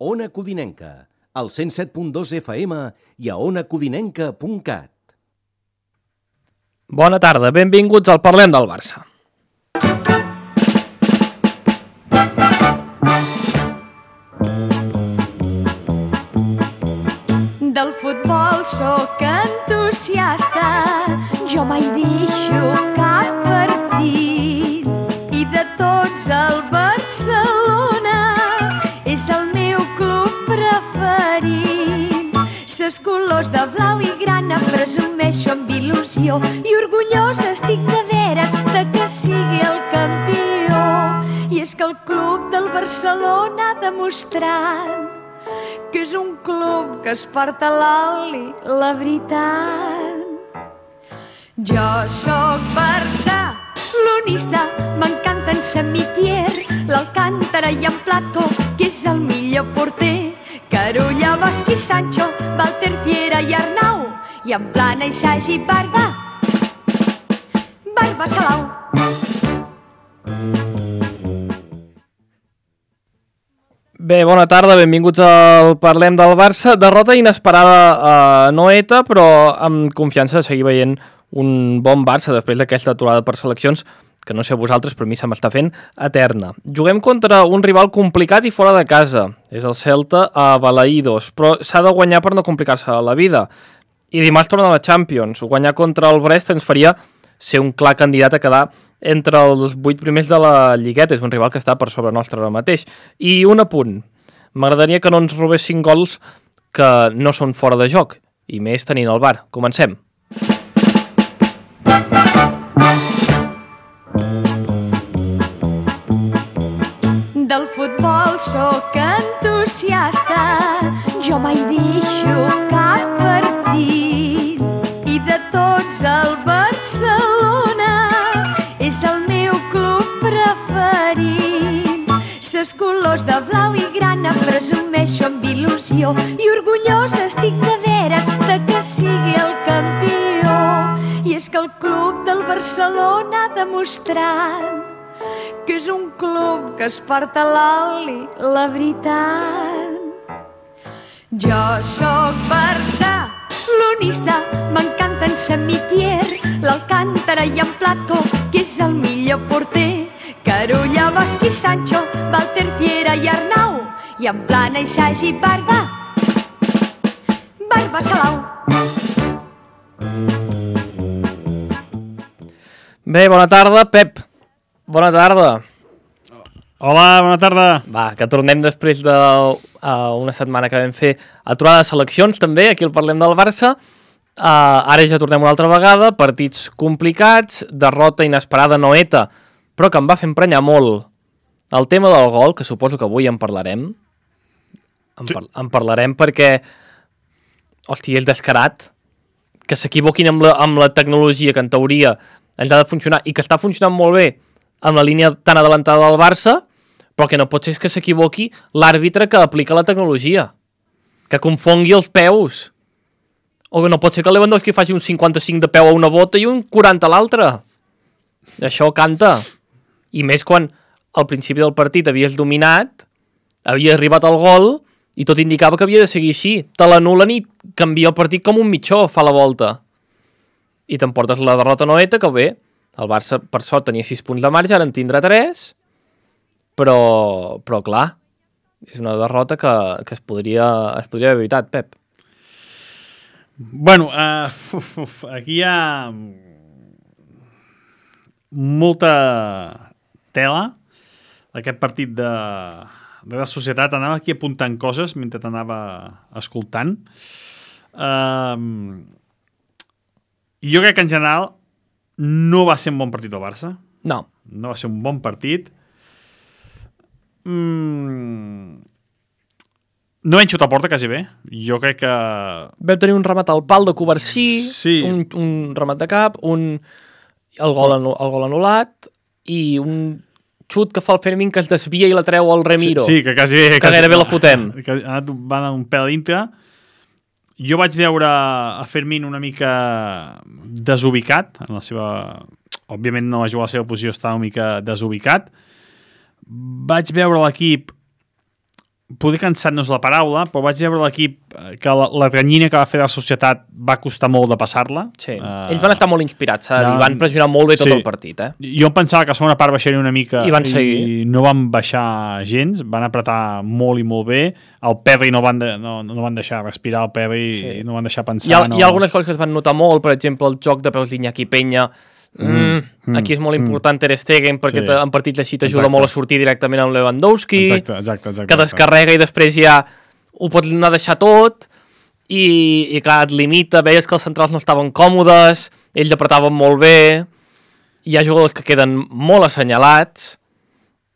Ona Codinenca, al 107.2 FM i a onacodinenca.cat. Bona tarda, benvinguts al Parlem del Barça. Del futbol sóc entusiasta, jo mai deixo cap partit. I de tots el Barcelona és el meu club preferit. Ses colors de blau i grana presumeixo amb il·lusió i orgullosa estic de veres de que sigui el campió. I és que el club del Barcelona ha demostrat que és un club que es porta a l'oli, la veritat. Jo sóc barcelonista, m'encanta en Samitier, l'Alcántara i en Platko, que és el millor porter. Carulla, Bosch i Sancho, Walter, Piera i Arnau, i en Plana, Isagi, Barba Salau. Bé, bona tarda, benvinguts al Parlem del Barça. Derrota inesperada a Noeta, però amb confiança de seguir veient un bon Barça després d'aquesta aturada per seleccions, que no sé vosaltres, però a mi se m'està fent eterna. Juguem contra un rival complicat i fora de casa. És el Celta a Balaïdos, però s'ha de guanyar per no complicar-se la vida. I dimarts torna a la Champions. Guanyar contra el Brest ens faria ser un clar candidat a quedar entre els 8 primers de la Lligueta. És un rival que està per sobre nostre ara mateix. I un apunt. M'agradaria que no ens robessin gols que no són fora de joc, i més tenint el VAR. Comencem. Del futbol sóc entusiasta, jo mai deixo cap partit. I de tots el Barcelona és el meu club preferit. Ses colors de blau i grana presumeixo amb il·lusió i orgullosa estic de veres de que sigui el campió. I és que el club del Barcelona ha demostrat que és un club que es porta a l'oli, la veritat. Jo sóc barcelonista, m'encanta en Samitier, l'Alcántara i en Platko, que és el millor porter. Carulla, Bosch i Sancho, Walter, Piera i Arnau, i en Plana, Isagi, Barba Salau. Bé, bona tarda, Pep. Bona tarda. Hola, bona tarda. Va, que tornem després d'una setmana que vam fer aturada de seleccions, també, aquí al Parlem del Barça. Ara ja tornem una altra vegada, partits complicats, derrota inesperada Noeta, però que em va fer emprenyar molt el tema del gol, que suposo que avui en parlarem. En parlarem perquè, hòstia, és descarat que s'equivoquin amb la tecnologia que en teoria ens ha de funcionar i que està funcionant molt bé amb la línia tan adelantada del Barça, però que no pot ser que s'equivoqui l'àrbitre que aplica la tecnologia, que confongui els peus. O que no pot ser que Lewandowski faci un 55 de peu a una bota i un 40 a l'altra. Això canta. I més quan al principi del partit havies dominat, havia arribat al gol i tot indicava que havia de seguir així. Te l'anulen i canvia el partit com un mitjó, fa la volta. I t'emportes la derrota Noeta, que bé, el Barça per sort tenia 6 punts de marge, ara en tindrà 3, però clar, és una derrota que es podria haver evitat, Pep. Bueno, aquí hi ha molta tela d'aquest partit de la societat. Anava aquí apuntant coses mentre t'anava escoltant. Jo crec que en general no va ser un bon partit del Barça. No va ser un bon partit. No vam xutar a porta quasi bé. Jo crec que... Vam tenir un remat al pal de Covarsí, sí. un remat de cap, el gol anul·lat i un xut que fa el Fermín que es desvia i la treu al Remiro. Sí, que quasi bé... Que gairebé la fotem. Que va anar un pèl dintre. Jo vaig veure a Fermín una mica desubicat en la seva... Òbviament no va jugar a la seva posició, estava una mica desubicat. Vaig veure l'equip poder cansar-nos la paraula, però vaig veure l'equip que la ganyina que va fer la societat va costar molt de passar-la. Sí. Ells van estar molt inspirats, van pressionar molt bé tot el partit. Jo em pensava que a segona part baixaria una mica i van seguir. I no van baixar gens, van apretar molt i molt bé. El Perry no van deixar respirar, el Perry i no van deixar pensar. Hi ha algunes coses que es van notar molt, per exemple, el joc de peus d'Iñaki Peña. Aquí és molt important Ter Stegen perquè en partits així t'ajuda molt a sortir directament amb Lewandowski, exacte. que descarrega i després ja ho pots anar a deixar tot i clar, et limita, veies que els centrals no estaven còmodes, ells apretaven molt bé, hi ha jugadors que queden molt assenyalats,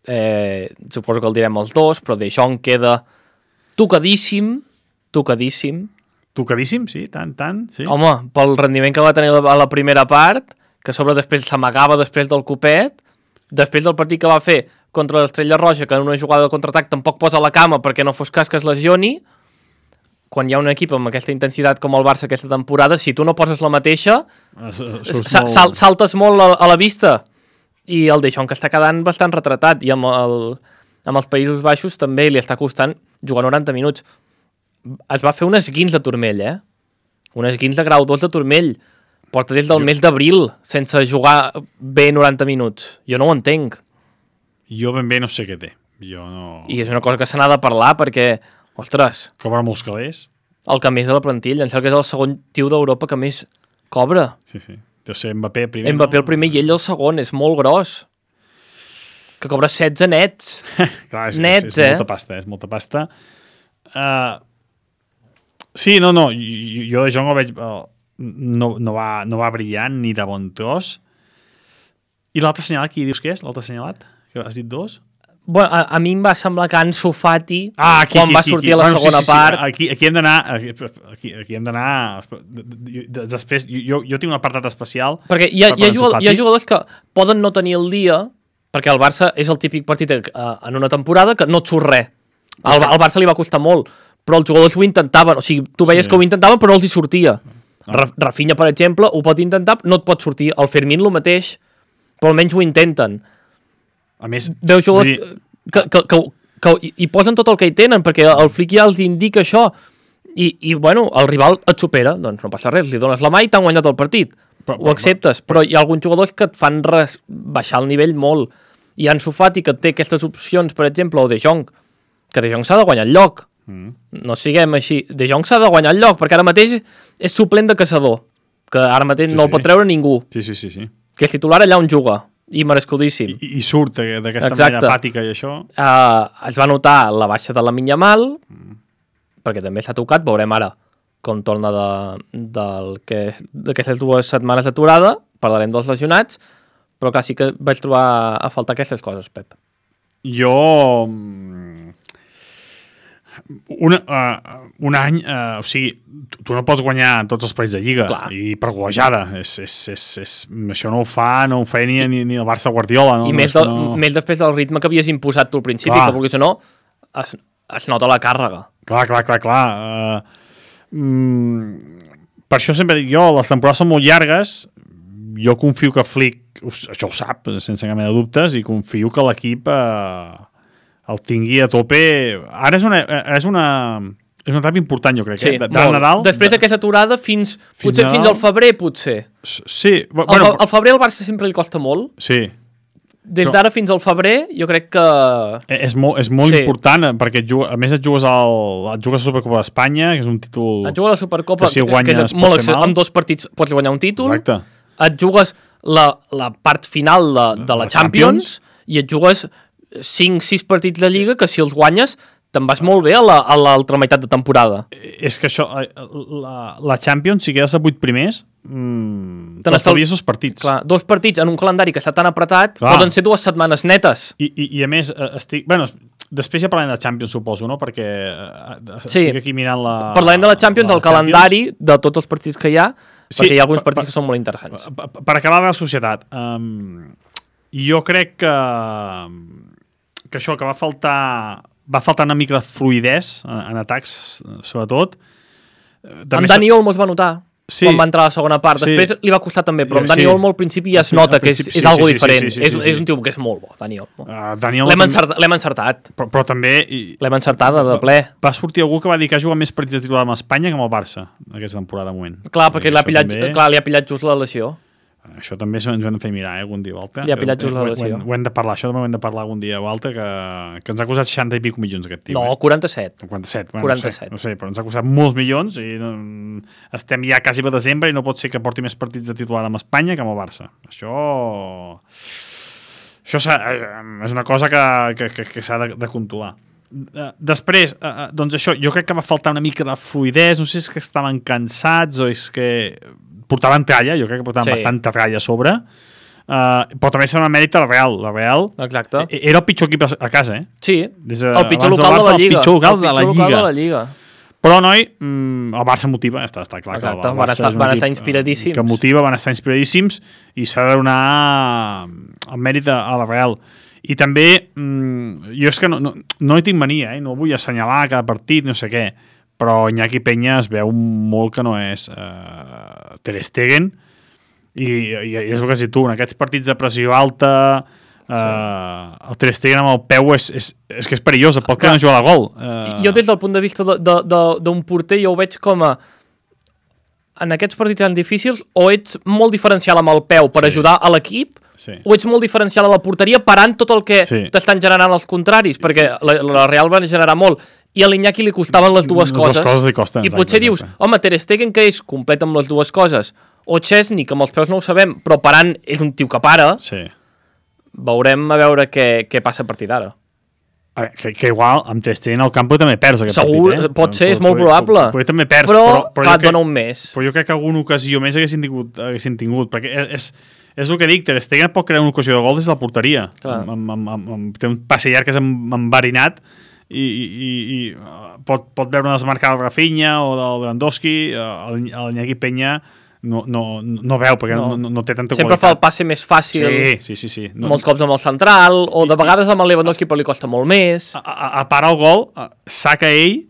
suposo que el direm els dos, però De Jong queda tocadíssim, sí, tant, sí. Home, pel rendiment que va tenir a la primera part, que a sobre després s'amagava després del copet, després del partit que va fer contra l'Estrella Roja, que en una jugada de contraatac tampoc posa la cama perquè no fos cas que es lesioni, quan hi ha un equip amb aquesta intensitat com el Barça aquesta temporada, si tu no poses la mateixa, saltes molt a la vista. I el De Jong que està quedant bastant retratat, i amb els Països Baixos també li està costant jugar 90 minuts. Es va fer un esguins de turmell, un esguins de grau 2 de turmell. Porta des del mes d'abril sense jugar bé 90 minuts. Jo no ho entenc. Jo ben bé no sé què té. I és una cosa que se n'ha de parlar perquè, ostres... Cobra molts calés. El que més de la plantilla. Em sembla que és el segon tio d'Europa que més cobra. Sí. Deu ser Mbappé primer. Mbappé el primer i ell el segon. És molt gros. Que cobra 16 nets. Clar, és molta pasta. Sí, no. Jo de Jong el veig... No va brillant ni de bon tros. I l'altre assenyalat, qui dius que és? L'altre assenyalat? Que has dit dos? Bueno, a mi em va semblar que Ansu Fati quan va sortir a la segona part... Aquí hem d'anar... Aquí hem d'anar... Després, jo tinc un apartat especial... Perquè hi ha jugadors que poden no tenir el dia, perquè el Barça és el típic partit en una temporada que no et surt res. Al Barça li va costar molt, però els jugadors ho intentaven. O sigui, tu veies que ho intentaven, però no els hi sortia. Rafinha, per exemple, ho pot intentar, no et pot sortir. El Fermín el mateix, però almenys ho intenten. A més... Deu jugadors que hi posen tot el que hi tenen, perquè el Flick ja els indica això. I bueno, el rival et supera, doncs no passa res, li dones la mà i t'han guanyat el partit. Ho acceptes, però hi ha alguns jugadors que et fan baixar el nivell molt. I Ansu Fati, que té aquestes opcions, per exemple, o De Jong, que De Jong s'ha de guanyar el lloc. No siguem així. De Jong s'ha de guanyar el lloc, perquè ara mateix és suplent de caçador, que ara mateix no el pot treure ningú. Sí. Que és titular allà on juga, i merescudíssim. I surt d'aquesta manera apàtica i això. Es va notar la baixa de Lamine Yamal, perquè també s'ha tocat, veurem ara com torna d'aquestes 2 setmanes d'aturada, parlarem dels lesionats, però clar, sí que vaig trobar a faltar aquestes coses, Pep. Jo... un any, o sigui, tu no pots guanyar tots els partits de Lliga. Clar. I per golejada. Això no ho feia ni el Barça Guardiola. No? I més després del ritme que havies imposat tu al principi, que vulguis o no, es nota la càrrega. Clar. Per això sempre dic jo, les temporades són molt llargues, jo confio que Flick, això ho sap, sense cap mena de dubtes, i confio que l'equip... el tingui a tope. Ara és una etapa important, jo crec. Sí, Nadal, després d'aquesta aturada fins al febrer, potser. Sí. Al febrer al Barça sempre li costa molt. Sí. Des d'ara fins al febrer, jo crec que... És molt important, perquè a més et jugues a la Supercopa d'Espanya, que és un títol... Et jugues a la Supercopa, que si guanyes pots fer mal. Amb 2 partits pots guanyar un títol. Exacte. Et jugues la part final de la Champions i et jugues 5-6 partits de Lliga que si els guanyes te'n vas molt bé a l'altra meitat de temporada. És que això, la Champions, si quedes a 8 primers, t'estalvies 2 partits. Clar, 2 partits en un calendari que està tan apretat, poden ser 2 setmanes netes. I a més, després ja parlem de Champions, suposo, no? Perquè estic aquí mirant la... Parlem de la Champions, el calendari de tots els partits que hi ha, perquè hi ha alguns partits que són molt interessants. Per acabar de la societat, jo crec que això, que va faltar una mica de fluïdesa en atacs, sobretot. Amb Dani Olmo es va notar. quan va entrar a la segona part. Després li va costar també, però amb Dani Olmo al principi ja es nota que és algo diferent. És un tio que és molt bo, Dani Olmo. L'hem encertat. Però també... L'hem encertada de ple. Va sortir algú que va dir que ha jugat més partits de titular amb Espanya que amb el Barça aquesta temporada de moment. Clar, perquè li ha pillat just la lesió. Això també ens ho hem de fer mirar algun dia o altre. Li ha pillat just la lesió. Ho hem de parlar, això també ho hem de parlar algun dia o altre, que ens ha costat 60 i pico milions aquest tio. No, 47. 47. No sé, però ens ha costat molts milions i estem ja quasi per desembre i no pot ser que porti més partits de titular amb Espanya que amb el Barça. Això és una cosa que s'ha de controlar. Després, doncs això, jo crec que va faltar una mica de fluidesa, no sé si és que estaven cansats o és que portaven tralla, jo crec que portaven bastanta tralla a sobre, però també serà una mèrit a la Real. La Real era el pitjor equip a casa, Sí, el pitjor local de la Lliga. El pitjor local de la Lliga. Però, noi, el Barça motiva, està clar. Exacte, van estar inspiradíssims. Que motiva, van estar inspiradíssims i s'ha de donar el mèrit a la Real. I també, jo és que no hi tinc mania, no vull assenyalar cada partit, no sé què, però Iñaki Peña es veu molt que no és Ter Stegen i és el que has dit tu, en aquests partits de pressió alta el Ter Stegen amb el peu és que és perillós, pot que no jugar a gol. Jo des del punt de vista d'un porter jo ho veig com a en aquests partits tan difícils o ets molt diferencial amb el peu per ajudar a l'equip o ets molt diferencial a la porteria parant tot el que t'estan generant els contraris, perquè la Real va generar molt i a l'Iñaki li costaven les dues coses. Les coses li costen. I potser dius, home, Ter Stegen que és complet amb les dues coses, o Chesney, que amb els peus no ho sabem, però parant és un tio que para, veurem a veure què passa a partir d'ara. Que igual amb Ter Stegen al camp també perds aquest partit. Segur, pot ser, és molt probable. També perds, però et dona un mes. Però jo crec que alguna ocasió més haguessin tingut, perquè és el que dic, Ter Stegen pot crear una ocasió de gol des de la porteria. Té un passe llarg que és enverinat i pot veure una desmarcada de Rafinha o del Lewandowski, l'Iñaki Peña no veu perquè no té tanta qualitat. Sempre fa el passe més fàcil. Sí. Molts cops amb el central, o de vegades amb el Lewandowski però li costa molt més. A part el gol, saca ell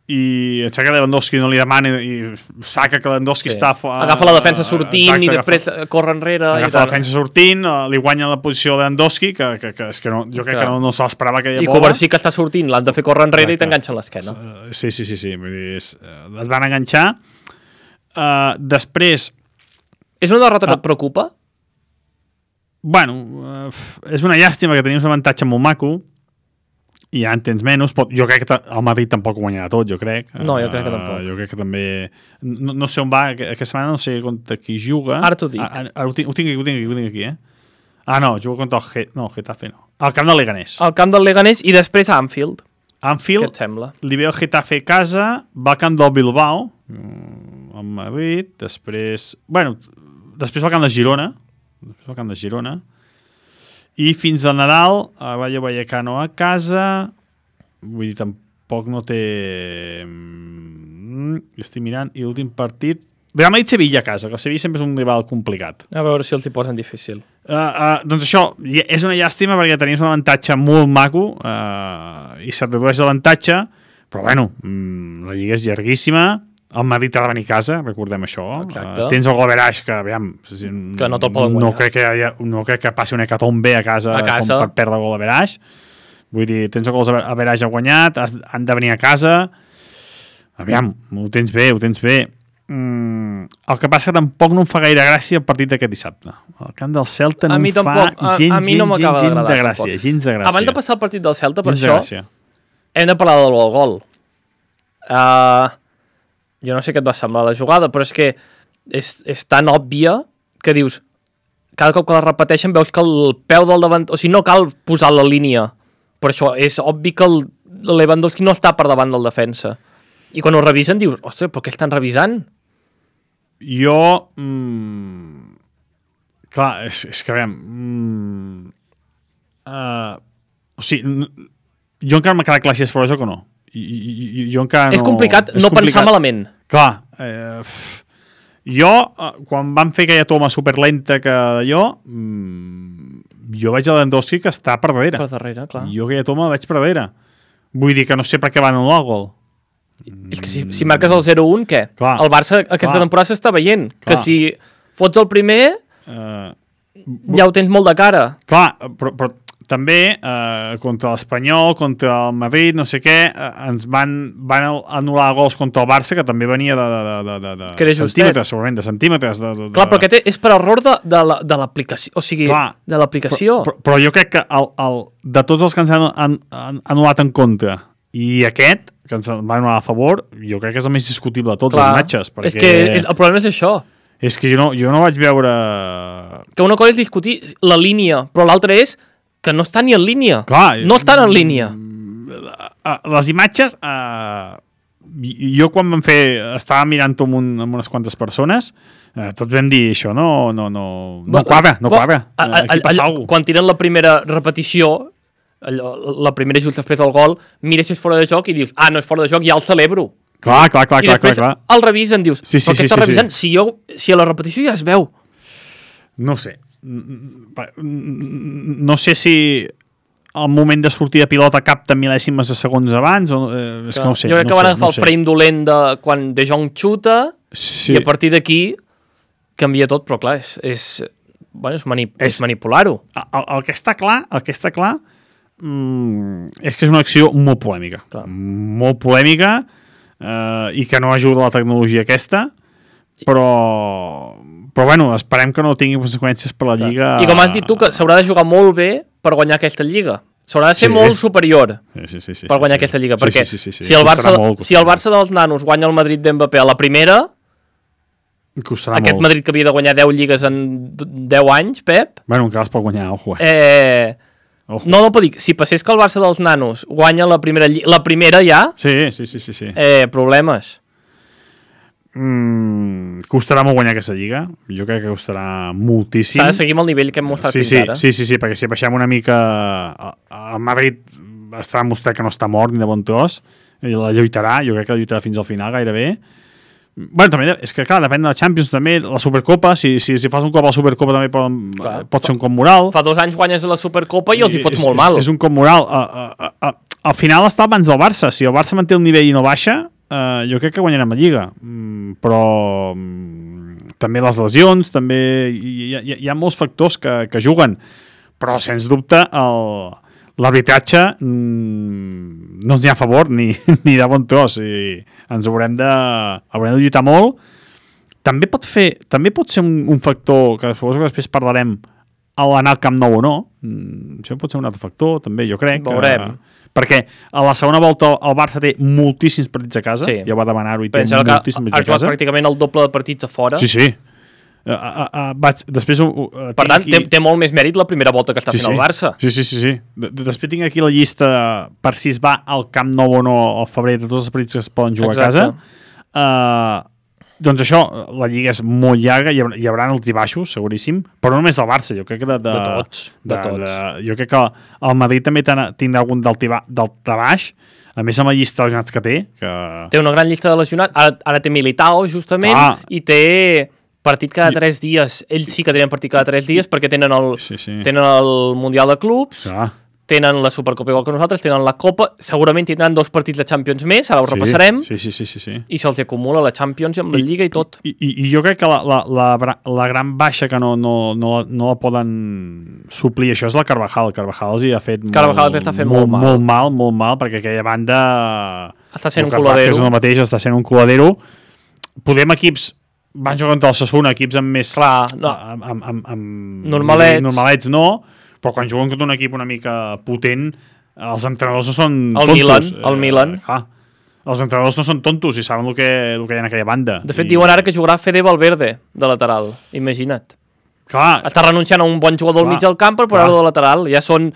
i et saca Lewandowski, no li demana i saca que Lewandowski està... Agafa la defensa sortint i després corre enrere. Agafa la defensa sortint, li guanya la posició de Lewandowski, que jo crec que no se l'esperava aquella bola. I Kovacic que està sortint, l'han de fer córrer enrere i t'enganxa l'esquena. Sí. Vull dir, es van enganxar. Després... És una derrota que et preocupa? Bueno, és una llàstima que tenim un avantatge molt maco i ja en tens menys. Jo crec que el Madrid tampoc ho guanyarà tot, jo crec. No, jo crec que tampoc. Jo crec que també... No sé on va, aquesta setmana no sé contra qui juga. Ara t'ho dic. Ara ho tinc aquí, no, juga contra el Getafe no. Al camp del Leganés. Al camp del Leganés i després a Anfield. Què et sembla? Li ve el Getafe a casa, va al camp del Bilbao, al Madrid, després va al camp de Girona, i fins al Nadal Rayo Vallecano a casa, vull dir, tampoc no té... Estic mirant, i l'últim partit... Real Madrid-Sevilla a casa, que el Sevilla sempre és un rival complicat. A veure si els hi posen difícil. Doncs això, és una llàstima perquè tenim un avantatge molt maco i se't redueix l'avantatge, però bueno, la Lliga és llarguíssima, el Madrid ha de venir a casa, recordem això. Tens el Goverage, que aviam, que no te'l poden guanyar. No crec que passi una hecatombe a casa com per perdre el Goverage. Vull dir, tens el Goverage guanyat, han de venir a casa. Aviam, ho tens bé. El que passa que tampoc no em fa gaire gràcia el partit d'aquest dissabte. El camp del Celta no em fa gens de gràcia. Abans de passar el partit del Celta, per això, hem de parlar del gol. Jo no sé què et va semblar la jugada, però és que és tan òbvia que dius, cada cop que la repeteixen veus que el peu del davant... O sigui, no cal posar la línia. Per això és obvi que el Lewandowski no està per davant del defensa. I quan ho revisen dius, ostres, però què estan revisant? Jo... Clar, és que aviam... O sigui, jo encara m'ha quedat clar si és fora de joc o no. Jo encara no... És complicat no pensar malament. Clar, jo, quan van fer aquella toma superlenta que jo veig a Lewandowski que està per darrere. Per darrere, clar. Jo aquella toma la veig per darrere. Vull dir que no sé per què van anul·lar el gol. És que si marques el 0-1, què? Clar. El Barça aquesta temporada s'està veient. Clar. Que si fots el primer, ja ho tens molt de cara. Clar, però també contra l'Espanyol, contra el Madrid, no sé què, ens van anul·lar gols contra el Barça, que també venia de Que era justet. centímetres, segurament, de centímetres. Clar, però aquest és per error de l'aplicació. O sigui, Clar. de l'aplicació. Però jo crec que de tots els que ens han anul·lat en contra i aquest, que ens va anul·lar a favor, jo crec que és el més discutible de tots els matxes. Perquè És que el problema és això. És que jo no vaig veure... Que una cosa és discutir la línia, però l'altra és que no està ni en línia. Clar, no estan en línia. Les imatges... jo quan vam fer... Estava mirant-ho amb unes quantes persones, tots vam dir això, no quadra. Aquí passa alguna cosa. Quan tiren la primera repetició, la primera just després del gol, mires si és fora de joc i dius, no és fora de joc, ja el celebro. Clar. I després el revisen, dius, sí, però què està revisant? Si a la repetició ja es veu. No ho sé. No sé si el moment de sortir de pilota capta mil·lèsimes de segons abans o, és que no ho sé. Jo crec que van agafar el frame dolent de quan De Jong xuta i a partir d'aquí canvia tot, però clar, és manipular-ho. El que està clar és que és una acció molt polèmica. Clar. Molt polèmica i que no ajuda la tecnologia aquesta, però bueno, esperem que no tingui conseqüències per la Lliga. I com has dit tu, que s'haurà de jugar molt bé per guanyar aquesta Lliga. S'haurà de ser molt superior per guanyar aquesta Lliga, perquè si el Barça dels nanos guanya el Madrid d'Mbappé a la primera, costarà aquest molt. Madrid que havia de guanyar 10 lligues en 10 anys, Pep... Bueno, encara es pot guanyar, ojo. No puc dir, si passés que el Barça dels nanos guanya la primera ja... Sí. Problemes. Costarà molt guanyar aquesta lliga. Jo crec que costarà moltíssim. S'ha de seguir amb el nivell que hem mostrat fins ara. Sí, perquè si baixem una mica el Madrid està demostrat que no està mort ni de bon tros i la lluitarà, jo crec que la lluitarà fins al final gairebé. Bueno, també és que clar, depèn de la Champions també, la Supercopa, si fas un cop a la Supercopa també pot ser un cop moral. Fa 2 anys guanyes la Supercopa i els hi fots molt mal. És un cop moral. Al final està abans del Barça. Si el Barça manté el nivell i no baixa, jo crec que guanyarem la Lliga, però també les lesions, també hi ha molts factors que juguen, però sens dubte l'arbitratge no ens hi ha a favor ni de bon tros, i ens haurem de lluitar molt. També pot ser un factor que suposo que després parlarem a l'anar al Camp Nou o no. Això pot ser un altre factor també, jo crec. Veurem. Perquè a la segona volta el Barça té moltíssims partits a casa, ja va demanar-ho i té moltíssims partits a casa. Ha jugat pràcticament el doble de partits a fora. Sí. Després, per tant, té molt més mèrit la primera volta que està fent el Barça. Sí. Després tinc aquí la llista per si es va al Camp Nou o no al febrer de tots els partits que es poden jugar a casa. Doncs això, la Lliga és molt llarga, hi haurà alts i baixos, seguríssim, però no només del Barça, jo crec que de tots. Jo crec que el Madrid també tindrà algun d'alt baix, a més amb la llista de lesionats que té. Té una gran llista de lesionats, ara té Militao, justament, i té partit cada 3 dies. Ells sí que tenen partit cada 3 dies perquè tenen el Mundial de Clubs, tenen la Supercopa igual que nosaltres, tenen la Copa, segurament tindran 2 partits de Champions més, ara ho repassarem, sí. I se'ls acumula la Champions amb la Lliga i tot. I jo crec que la gran baixa que no la poden suplir, això és la Carvajal. Carvajal els hi ha fet molt mal, perquè aquella banda està sent un coladero. És el mateix, està sent un coladero. Podem equips van jugar contra el Sassuolo, equips amb més normalets no, però quan juguen contra un equip una mica potent, els entrenadors no són tontos. El Milan. Els entrenadors no són tontos i saben el que hi ha en aquella banda. De fet, diuen ara que jugarà Fede Valverde de lateral, imagina't. Clar. Està renunciant a un bon jugador al mig del camp per posar-lo de lateral, ja són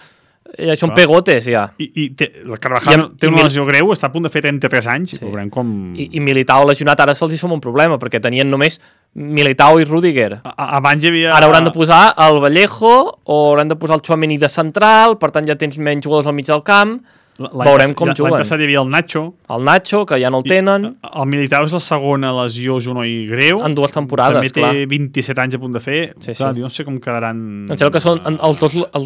pegotes, ja. I la Carvajal té una lesió greu, està a punt de fer 33 anys. I Militao lesionat ara se'ls hi som un problema, perquè tenien només Militao i Rüdiger. Abans hi havia... Ara hauran de posar el Vallejo o hauran de posar el Tchouaméni de central, per tant ja tens menys jugadors al mig del camp. Veurem com juguen. L'any passat hi havia el Nacho. El Nacho, que ja no el tenen. El Militao és la segona lesió junoi greu. En 2 temporades, clar. També té 27 anys a punt de fer. Clar, jo no sé com quedaran... Em sembla que són els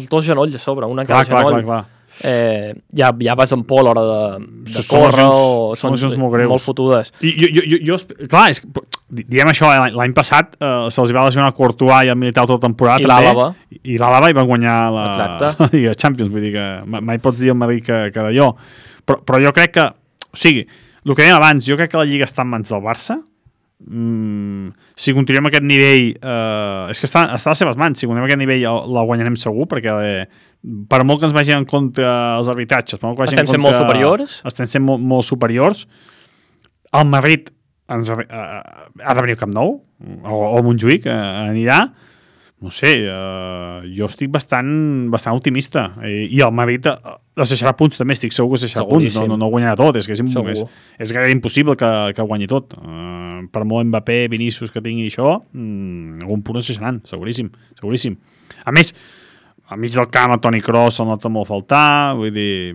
dos genolls a sobre, un en cada genoll. Clar. ja vas en por a l'hora de córrer o són molt fotudes. Clar, diem això, l'any passat se'ls va lesionar el Courtois i el Militao tota temporada. I l'Àlava i van guanyar la Lliga Champions, vull dir que mai pots dir al Madrid que d'allò. Però jo crec que, o sigui, el que dèiem abans, jo crec que la Lliga està en mans del Barça. Si continuem aquest nivell és que està a les seves mans, si continuem aquest nivell la guanyarem segur, perquè per molt que ens vagin en contra els arbitratges, estem sent molt superiors, molt superiors. El Madrid ha de venir al Camp Nou o a Montjuïc anirà, no sé, jo estic bastant optimista, i el Madrid es deixarà punts també, estic segur que es deixarà punts, no guanyarà tot, és gairebé impossible que guanyi tot. Per molt Mbappé, Vinícius que tingui això, algun punt es deixaran, seguríssim. A més, al mig del camp, el Toni Kroos el nota molt faltar, vull dir,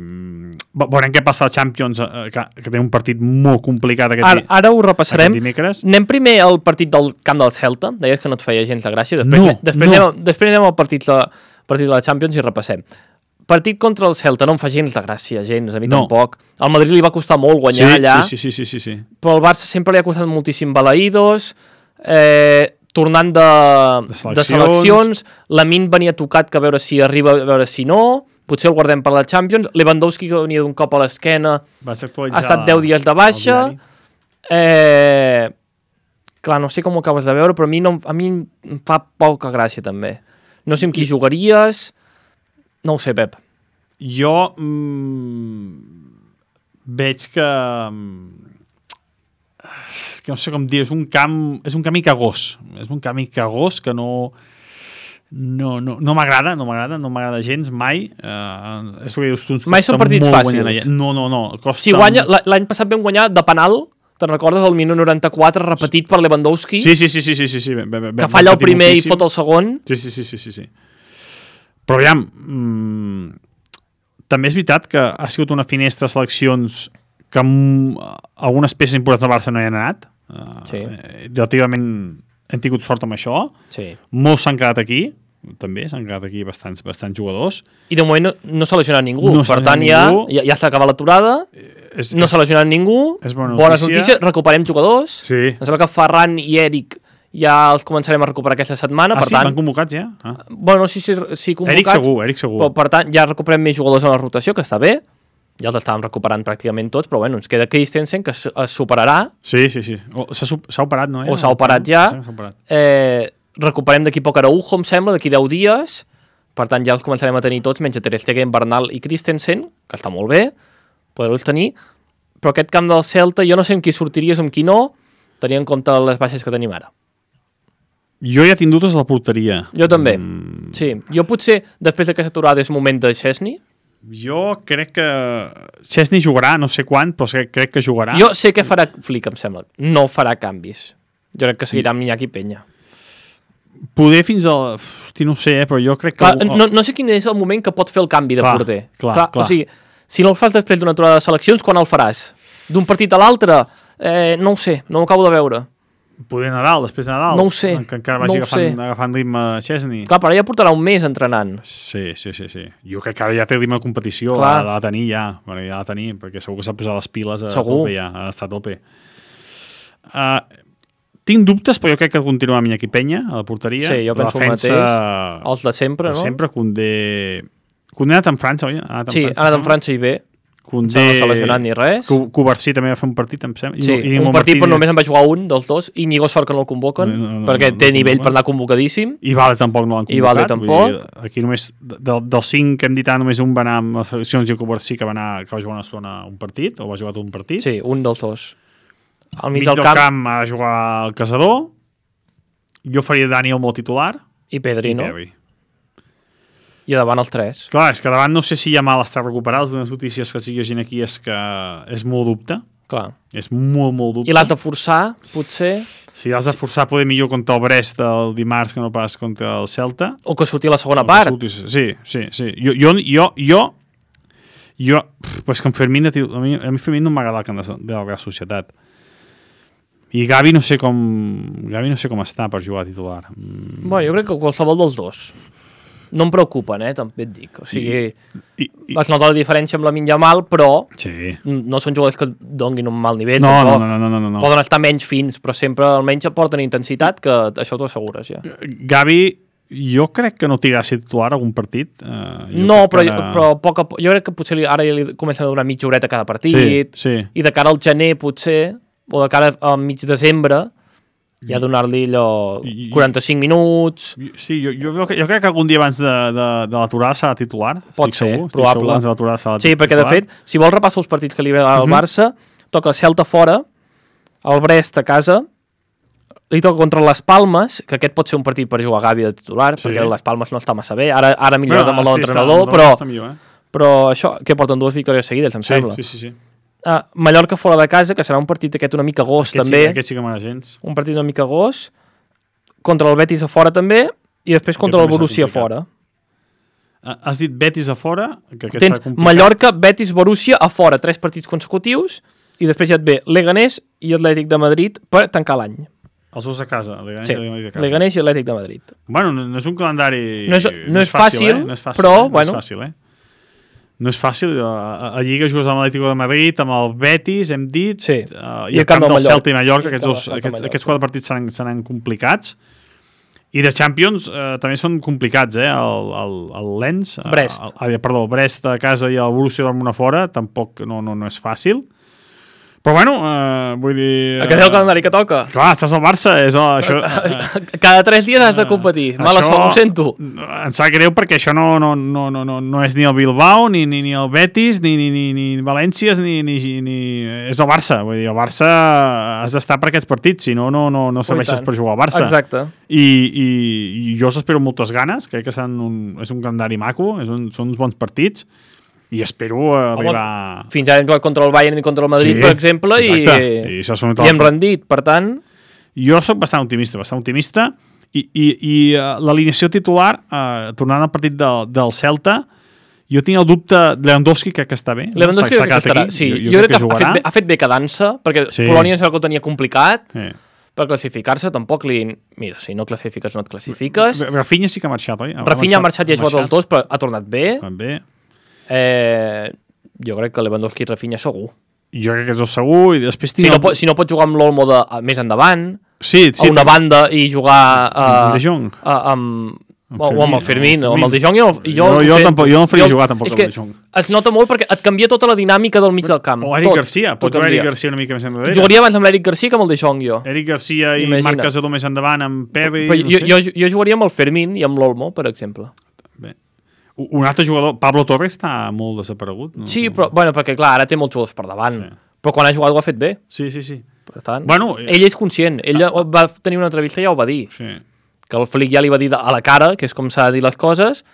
veurem què passa al Champions, que té un partit molt complicat ara ho repassarem. Anem primer al partit del camp del Celta, deies que no et feia gens de gràcia, després anem al partit de la Champions i repassem. Partit contra el Celta no em fa gens de gràcia, a mi tampoc. Al Madrid li va costar molt guanyar allà, sí. Però al Barça sempre li ha costat moltíssim balaïdos, tornant de seleccions, Lamine venia tocat que a veure si arriba, a veure si no, potser el guardem per la Champions, Lewandowski que venia d'un cop a l'esquena, ha estat 10 dies de baixa, clar, no sé com ho acabes de veure, però a mi em fa poca gràcia també. No sé amb qui jugaries, no ho sé, Pep. Jo veig que no sé com dir, és un camí cagós. És un camí cagós que no m'agrada gens, mai. És el que dius tu, mai són partits fàcils. No. Si guanya, l'any passat vam guanyar de penal, te'n recordes, el minut 94, repetit per Lewandowski? Sí. Que falla el primer i fot el segon. Sí. Però aviam, també és veritat que ha sigut una finestra de seleccions que algunes peces importants del Barça no hi han anat. Relativament hem tingut sort amb això. Molts s'han quedat aquí, també s'han quedat aquí bastants jugadors. I de moment no s'ha lesionat ningú, per tant ja s'ha acabat l'aturada, no s'ha lesionat ningú, bones notícies, recuperem jugadors. Em sembla que Ferran i Eric ja els començarem a recuperar aquesta setmana. Sí? Van convocats ja? Bueno, no sé si convocats. Eric segur. Però, per tant, ja recuperem més jugadors a la rotació, que està bé. Ja els estàvem recuperant pràcticament tots, però bueno, ens queda Christensen, que es superarà. Sí. S'ha operat, no? O s'ha operat ja. Recuperem d'aquí poc Araujo, em sembla, d'aquí 10 dies. Per tant, ja els començarem a tenir tots, menys Ter Stegen, Bernal i Christensen, que està molt bé, poder-los tenir. Però aquest camp del Celta, jo no sé amb qui sortiries, amb qui no, tenint en compte les baixes que tenim ara. Jo ja tinc dubtes a la porteria. Jo també, sí. Jo potser, després d'aquesta aturada, és moment de Chesney. Jo crec que Chesney jugarà, no sé quan, però crec que jugarà. Jo sé que farà Flick, em sembla. No farà canvis. Jo crec que seguirà amb Iñaki Peña. Poder fins al... no sé, però jo crec que... Clar, no sé quin és el moment que pot fer el canvi de porter. Clar. O sigui, si no el fas després d'una aturada de seleccions, quan el faràs? D'un partit a l'altre? No ho sé, no ho acabo de veure. Poder Nadal, després de Nadal. No ho sé. Que encara vagi agafant ritme Chesney. Clar, però ja portarà un mes entrenant. Sí. Jo crec que ara ja té ritme de competició. L'ha de tenir ja. Bueno, ja l'ha de tenir, perquè segur que s'ha posat les piles a tope ja. Ha estat a tope. Tinc dubtes, però jo crec que continuarà amb Iñaki Peña a la porteria. Sí, jo penso el mateix. Els de sempre, no? Sempre, Koundé ha anat en França, oi? Sí, ha anat en França i bé. Koundé, no s'ha lesionat ni res. Covarsí també va fer un partit, em sembla. Sí, un partit, però només en va jugar un dels dos. Íñigo sort que no el convoquen, perquè té nivell per anar convocadíssim. I Vale tampoc no l'han convocat. Aquí només, dels 5 que hem dit, només un va anar amb les seleccions i Covarsí que va jugar una estona un partit, o va jugar tot un partit. Sí, un dels dos. Al mig del camp ha de jugar el Caçador. Jo faria Dani el molt titular. I Pedri, no? I a davant els 3. Clar, és que davant no sé si hi ha mal estar recuperat. Les bones notícies que sigui gent aquí és que és molt dubte. Clar. És molt dubte. I l'has de forçar, potser? Si l'has de forçar, poder millor contra el Brest el dimarts que no pas contra el Celta. O que surti a la segona part. Sí. Jo pues que en Fermín, a mi Fermín no m'agrada el camp de la Real Societat. I Gavi no sé com està per jugar a titular. Bueno, jo crec que qualsevol dels dos. no em preocupen, també et dic. O sigui, es nota la diferència amb la Yamal, però no són jugadors que donguin un mal nivell. No. Poden estar menys fins, però sempre almenys aporten intensitat, que això t'ho assegures, ja. Gavi, jo crec que no tindrà ser titular algun partit. Però jo crec que potser ara ja li comencen a donar mitja horeta cada partit, i de cara al gener, potser, o de cara al mig desembre, ja donar-li allò 45 minuts... Sí, jo crec que algun dia abans de l'aturada serà titular. Pot ser, probable. Sí, perquè de fet, si vols repassar els partits que li ve al Barça, toca Celta fora, el Brest a casa, li toca contra les Palmes, que aquest pot ser un partit per jugar Gavi de titular, perquè les Palmes no està massa bé, ara millor amb el nou entrenador, però això, que porten 2 victòries seguides, em sembla. Sí. Mallorca fora de casa, que serà un partit aquest una mica gos, també. Aquest sí que m'agrada gens. Un partit una mica gos, contra el Betis a fora també, i després contra el Borussia a fora. Has dit Betis a fora? Tens Mallorca, Betis, Borussia a fora, 3 partits consecutius, i després ja et ve Leganés i Atlètic de Madrid per tancar l'any. Els dos a casa, Leganés i Atlètic de Madrid. Bueno, no és un calendari... No és fàcil, però... No és fàcil, No és fàcil, a Lliga jugues amb l'Atlético de Madrid, amb el Betis, hem dit, i el camp del Celta i Mallorca, aquests 4 partits seran complicats. I de Champions també són complicats, el Lens, Brest a casa i el Borussia Dortmund a fora, tampoc no és fàcil. Però bueno, vull dir... Aquest és el calendari que toca. Clar, estàs al Barça, és això... Cada 3 dies has de competir. Mala sort, ho sento. Em sap greu perquè això no és ni el Bilbao, ni el Betis, ni València, ni... És el Barça. Vull dir, el Barça has d'estar per aquests partits, si no serveixes per jugar al Barça. Exacte. I jo els espero amb moltes ganes, crec que és un calendari maco, són uns bons partits, i espero arribar... Fins ara hem jugat contra el Bayern i contra el Madrid, per exemple, i hem rendit, per tant... Jo soc bastant optimista, i l'alineació titular, tornant al partit del Celta, jo tinc el dubte, Lewandowski crec que està bé. Lewandowski crec que estarà, sí. Jo crec que ha fet bé quedant-se, perquè Polònia és el que ho tenia complicat, per classificar-se, tampoc li... Mira, si no classifiques, no et classifiques. Rafinha sí que ha marxat, oi? Rafinha ha marxat i ha jugat els 2, però ha tornat bé. Jo crec que Lewandowski i Rafinha segur. Jo crec que és segur, i després si no pots jugar amb l'Olmo més endavant, a una banda i jugar amb De Jong o amb el Fermín o amb el De Jong, jo no faria jugar tampoc amb el De Jong. Es nota molt perquè et canvia tota la dinàmica del mig del camp. O Eric Garcia, pots jugar Eric Garcia una mica més enrere. Jugaria abans amb l'Eric Garcia que amb el De Jong, jo. Eric Garcia i Marc Casador més endavant amb Pedri. Jo jugaria amb el Fermín i amb l'Olmo, per exemple. Un altre jugador, Pablo Torres, està molt desaparegut. Sí, però perquè clar, ara té molts jugadors per davant. Però quan ha jugat ho ha fet bé. Sí. Per tant, ell és conscient. Ell va tenir una entrevista i ja ho va dir. Que el Flick ja li va dir a la cara, que és com s'ha de dir les coses,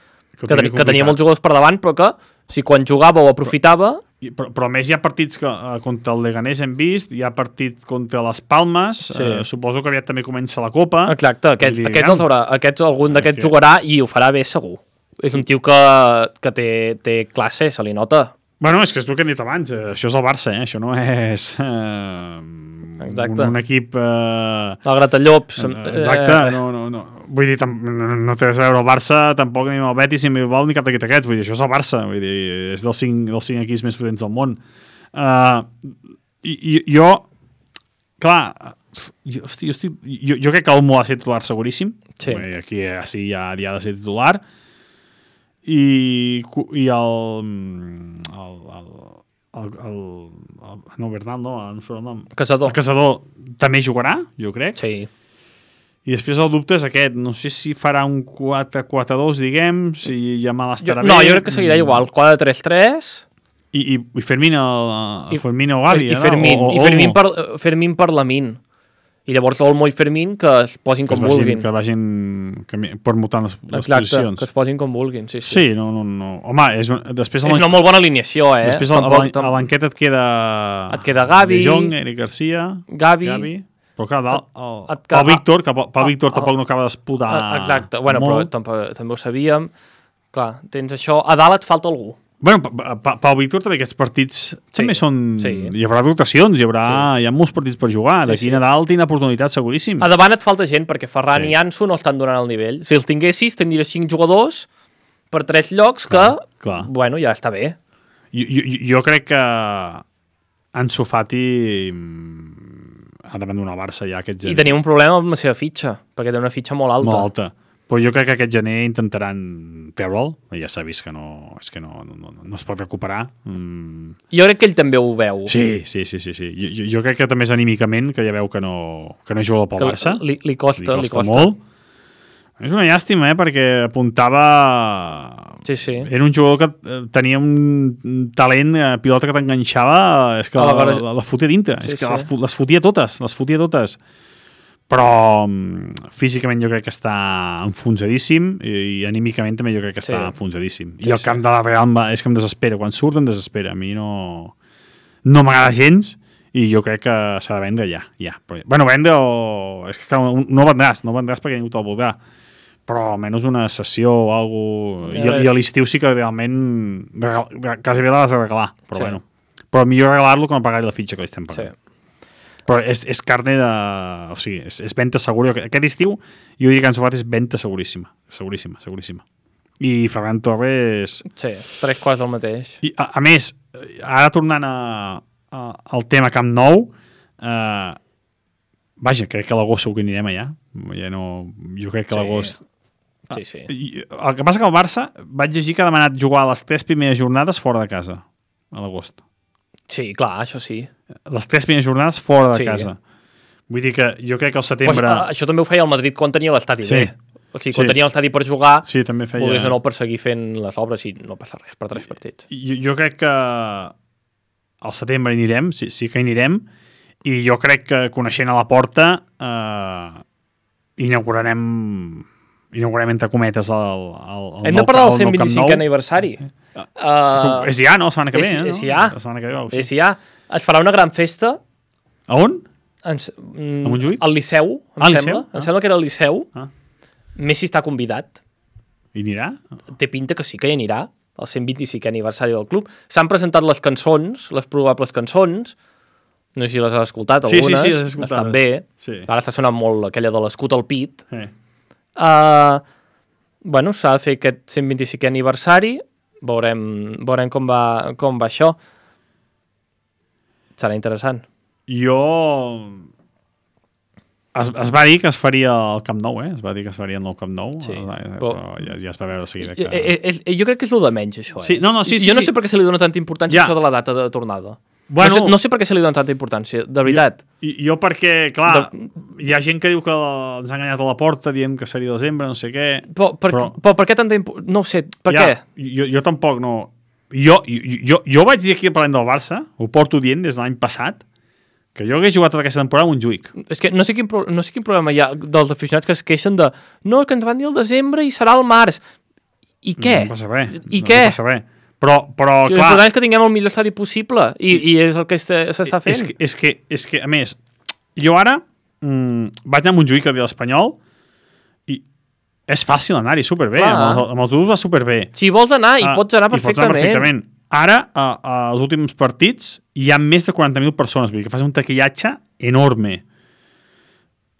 que tenia molts jugadors per davant, però que si quan jugava ho aprofitava... Però a més hi ha partits que contra el Leganés hem vist, hi ha partit contra les Palmes, suposo que aviat també comença la Copa. Exacte, aquests algun d'aquests jugarà i ho farà bé segur. És un tio que té classe, se li nota. Bueno, és que és el que hem dit abans, això és el Barça, això no és un equip... El Gratallops. Exacte, no. Vull dir, no té res a veure el Barça, tampoc ni el Betis, ni el Bilbao, ni cap d'aquests aquests, vull dir, això és el Barça, vull dir, és dels 5 equips més potents del món. Jo, clar, jo crec que Olmo ha de ser titular seguríssim, aquí sí ja ha de ser titular, i el Bernal, no sé el nom. Casador. El Casador també jugarà, jo crec. Sí. I després el dubte és aquest, no sé si farà un 4-4-2, diguem, si Yamal estarà bé. No, jo crec que seguirà igual, 4-3-3. I Fermín o Gavi, I Fermín per Lamine. I llavors Olmo i Fermín que es posin com vulguin. Que vagin permutant les posicions. Que es posin com vulguin, sí. Sí, no. Home, és una molt bona alineació, Després a l'enqueta et queda Gavi, De Jong, Eric Garcia, Gavi. Però clar, el Víctor, tampoc no acaba d'explotar. Exacte, però també ho sabíem. Clar, tens això. A dalt et falta algú. Bueno, Pau Víctor també aquests partits també són... Hi haurà rotacions, hi ha molts partits per jugar. D'aquí a Nadal tindrà oportunitat seguríssim. A davant et falta gent, perquè Ferran i Ansu no estan donant el nivell. Si els tinguessis, tindries 5 jugadors per 3 llocs que, clar. bueno, ja està bé. Jo crec que Ansu Fati ha d'abandonar el Barça ja aquest gener. I tenim un problema amb la seva fitxa, perquè té una fitxa molt alta. Molt alta. Però jo crec que aquest gener intentaran treure'l. Ja s'ha vist que no es pot recuperar. Jo crec que ell també ho veu. Sí. Jo crec que també és anímicament, que ja veu que no juga pel Barça. Li costa molt. És una llàstima, perquè apuntava... Sí. Era un jugador que tenia un talent, pilota que t'enganxava, és que la fotia dintre. És que les fotia totes. Però físicament jo crec que està enfonsadíssim i anímicament també jo crec que està enfonsadíssim. I el camp de la Real és que em desespera. Quan surt em desespera. A mi no m'agrada gens i jo crec que s'ha de vendre ja. Bueno, vendre o... És que no vendràs perquè ningú te'l voldrà. Però almenys una sessió o alguna cosa. I a l'estiu sí que realment quasi bé l'has de regalar. Però bueno. Però millor regalar-lo que no pagar-li la fitxa que li estem pagant. Però és carne de... O sigui, és venda segura. Aquest estiu jo diria que Ansu Fati és venda seguríssima. Seguríssima. I Ferran Torres... Sí, 3 quarts del mateix. I, a més, ara tornant al tema Camp Nou, vaja, crec que a l'agost segur que anirem allà. Jo crec que a l'agost... Sí. El que passa que el Barça vaig llegir que ha demanat jugar les 3 primeres jornades fora de casa, a l'agost. Sí, clar, això sí. Les 3 primeres jornades fora de casa. Vull dir que jo crec que al setembre... Això també ho feia el Madrid quan tenia l'estadi bé. O sigui, quan tenia l'estadi per jugar, també feia... volgués o no per seguir fent les obres i no passa res per 3 partits. Jo crec que al setembre anirem, sí que anirem, i jo crec que coneixent a la Porta inaugurarem entre cometes el hem de parlar del 125è aniversari. És ja, no? La setmana que ve, no? És ja. Es farà una gran festa. A on? A Montjuïc? Al Liceu, em sembla. Em sembla que era al Liceu. Messi està convidat. I anirà? Té pinta que sí que hi anirà, el 125è aniversari del club. S'han presentat les cançons, les probables cançons. No sé si les has escoltat, algunes. Sí, les he escoltat. Estan bé. Sí. Ara està sonant molt aquella de l'escut al pit. Bueno, s'ha de fer aquest 125è aniversari. Veurem com va això. Serà interessant. Es va dir que es faria al Camp Nou, Es va dir que es faria el nou Camp Nou, però ja es va veure de seguida que... Jo crec que és el de menys, això. Sí, jo no sé per què se li dona tanta importància això de la data de tornada. Bueno, no sé per què se li dona tanta importància, de veritat. Jo perquè, clar, hi ha gent que diu que ens ha enganyat a la Porta dient que seria desembre, no sé què... Però per què tanta importància? No ho sé, per què? Jo tampoc no... Jo vaig dir aquí parlant del Barça, ho porto dient des de l'any passat, que jo hagués jugat tota aquesta temporada a Montjuïc. És que no sé quin problema hi ha dels aficionats que es queixen de no, que ens van dir el desembre i serà el març. I què? No passa res. I què? No passa res. Però clar... L'important és que tinguem el millor estadi possible i és el que s'està fent. És que, a més, jo ara vaig anar a Montjuïc a dir l'Espanyol i és fàcil anar-hi superbé. Amb els duros va superbé. Si vols anar, hi pots anar perfectament. Ara, als últims partits, hi ha més de 40.000 persones. Vull dir que fas un taquillatge enorme.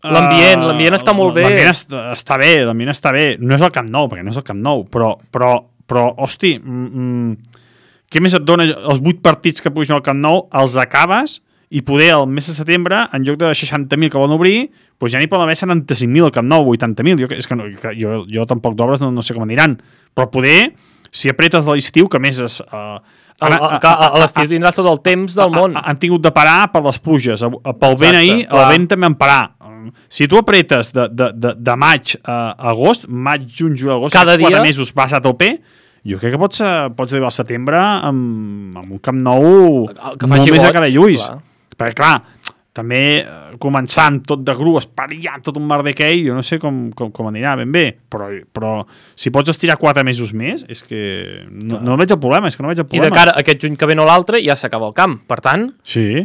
L'ambient està molt bé. L'ambient està bé. No és el Camp Nou, perquè no és el Camp Nou, però hosti, què més et dona els 8 partits que puguis anar al Camp Nou, els acabes i poder el mes de setembre, en lloc de 60.000 que volen obrir, doncs ja n'hi poden haver 75.000 al Camp Nou, 80.000. Jo tampoc d'obres no sé com aniran, però poder, si apretes de l'estiu, que més és... A l'estiu tindràs tot el temps del món. Han tingut de parar per les pluges. Pel vent ahir, el vent també en parar. Si tu apretes de maig a agost, maig, juny, juliol, agost, cada 4 mesos vas a tope, jo crec que pots arribar al setembre amb un Camp Nou molt més a cara i ulls. Perquè, clar, també començant tot de gru, espariant tot un merdequei, jo no sé com anirà ben bé, però si pots estirar 4 mesos més, és que no veig el problema, I de cara a aquest juny que ve no l'altre ja s'acaba el camp, per tant... Sí,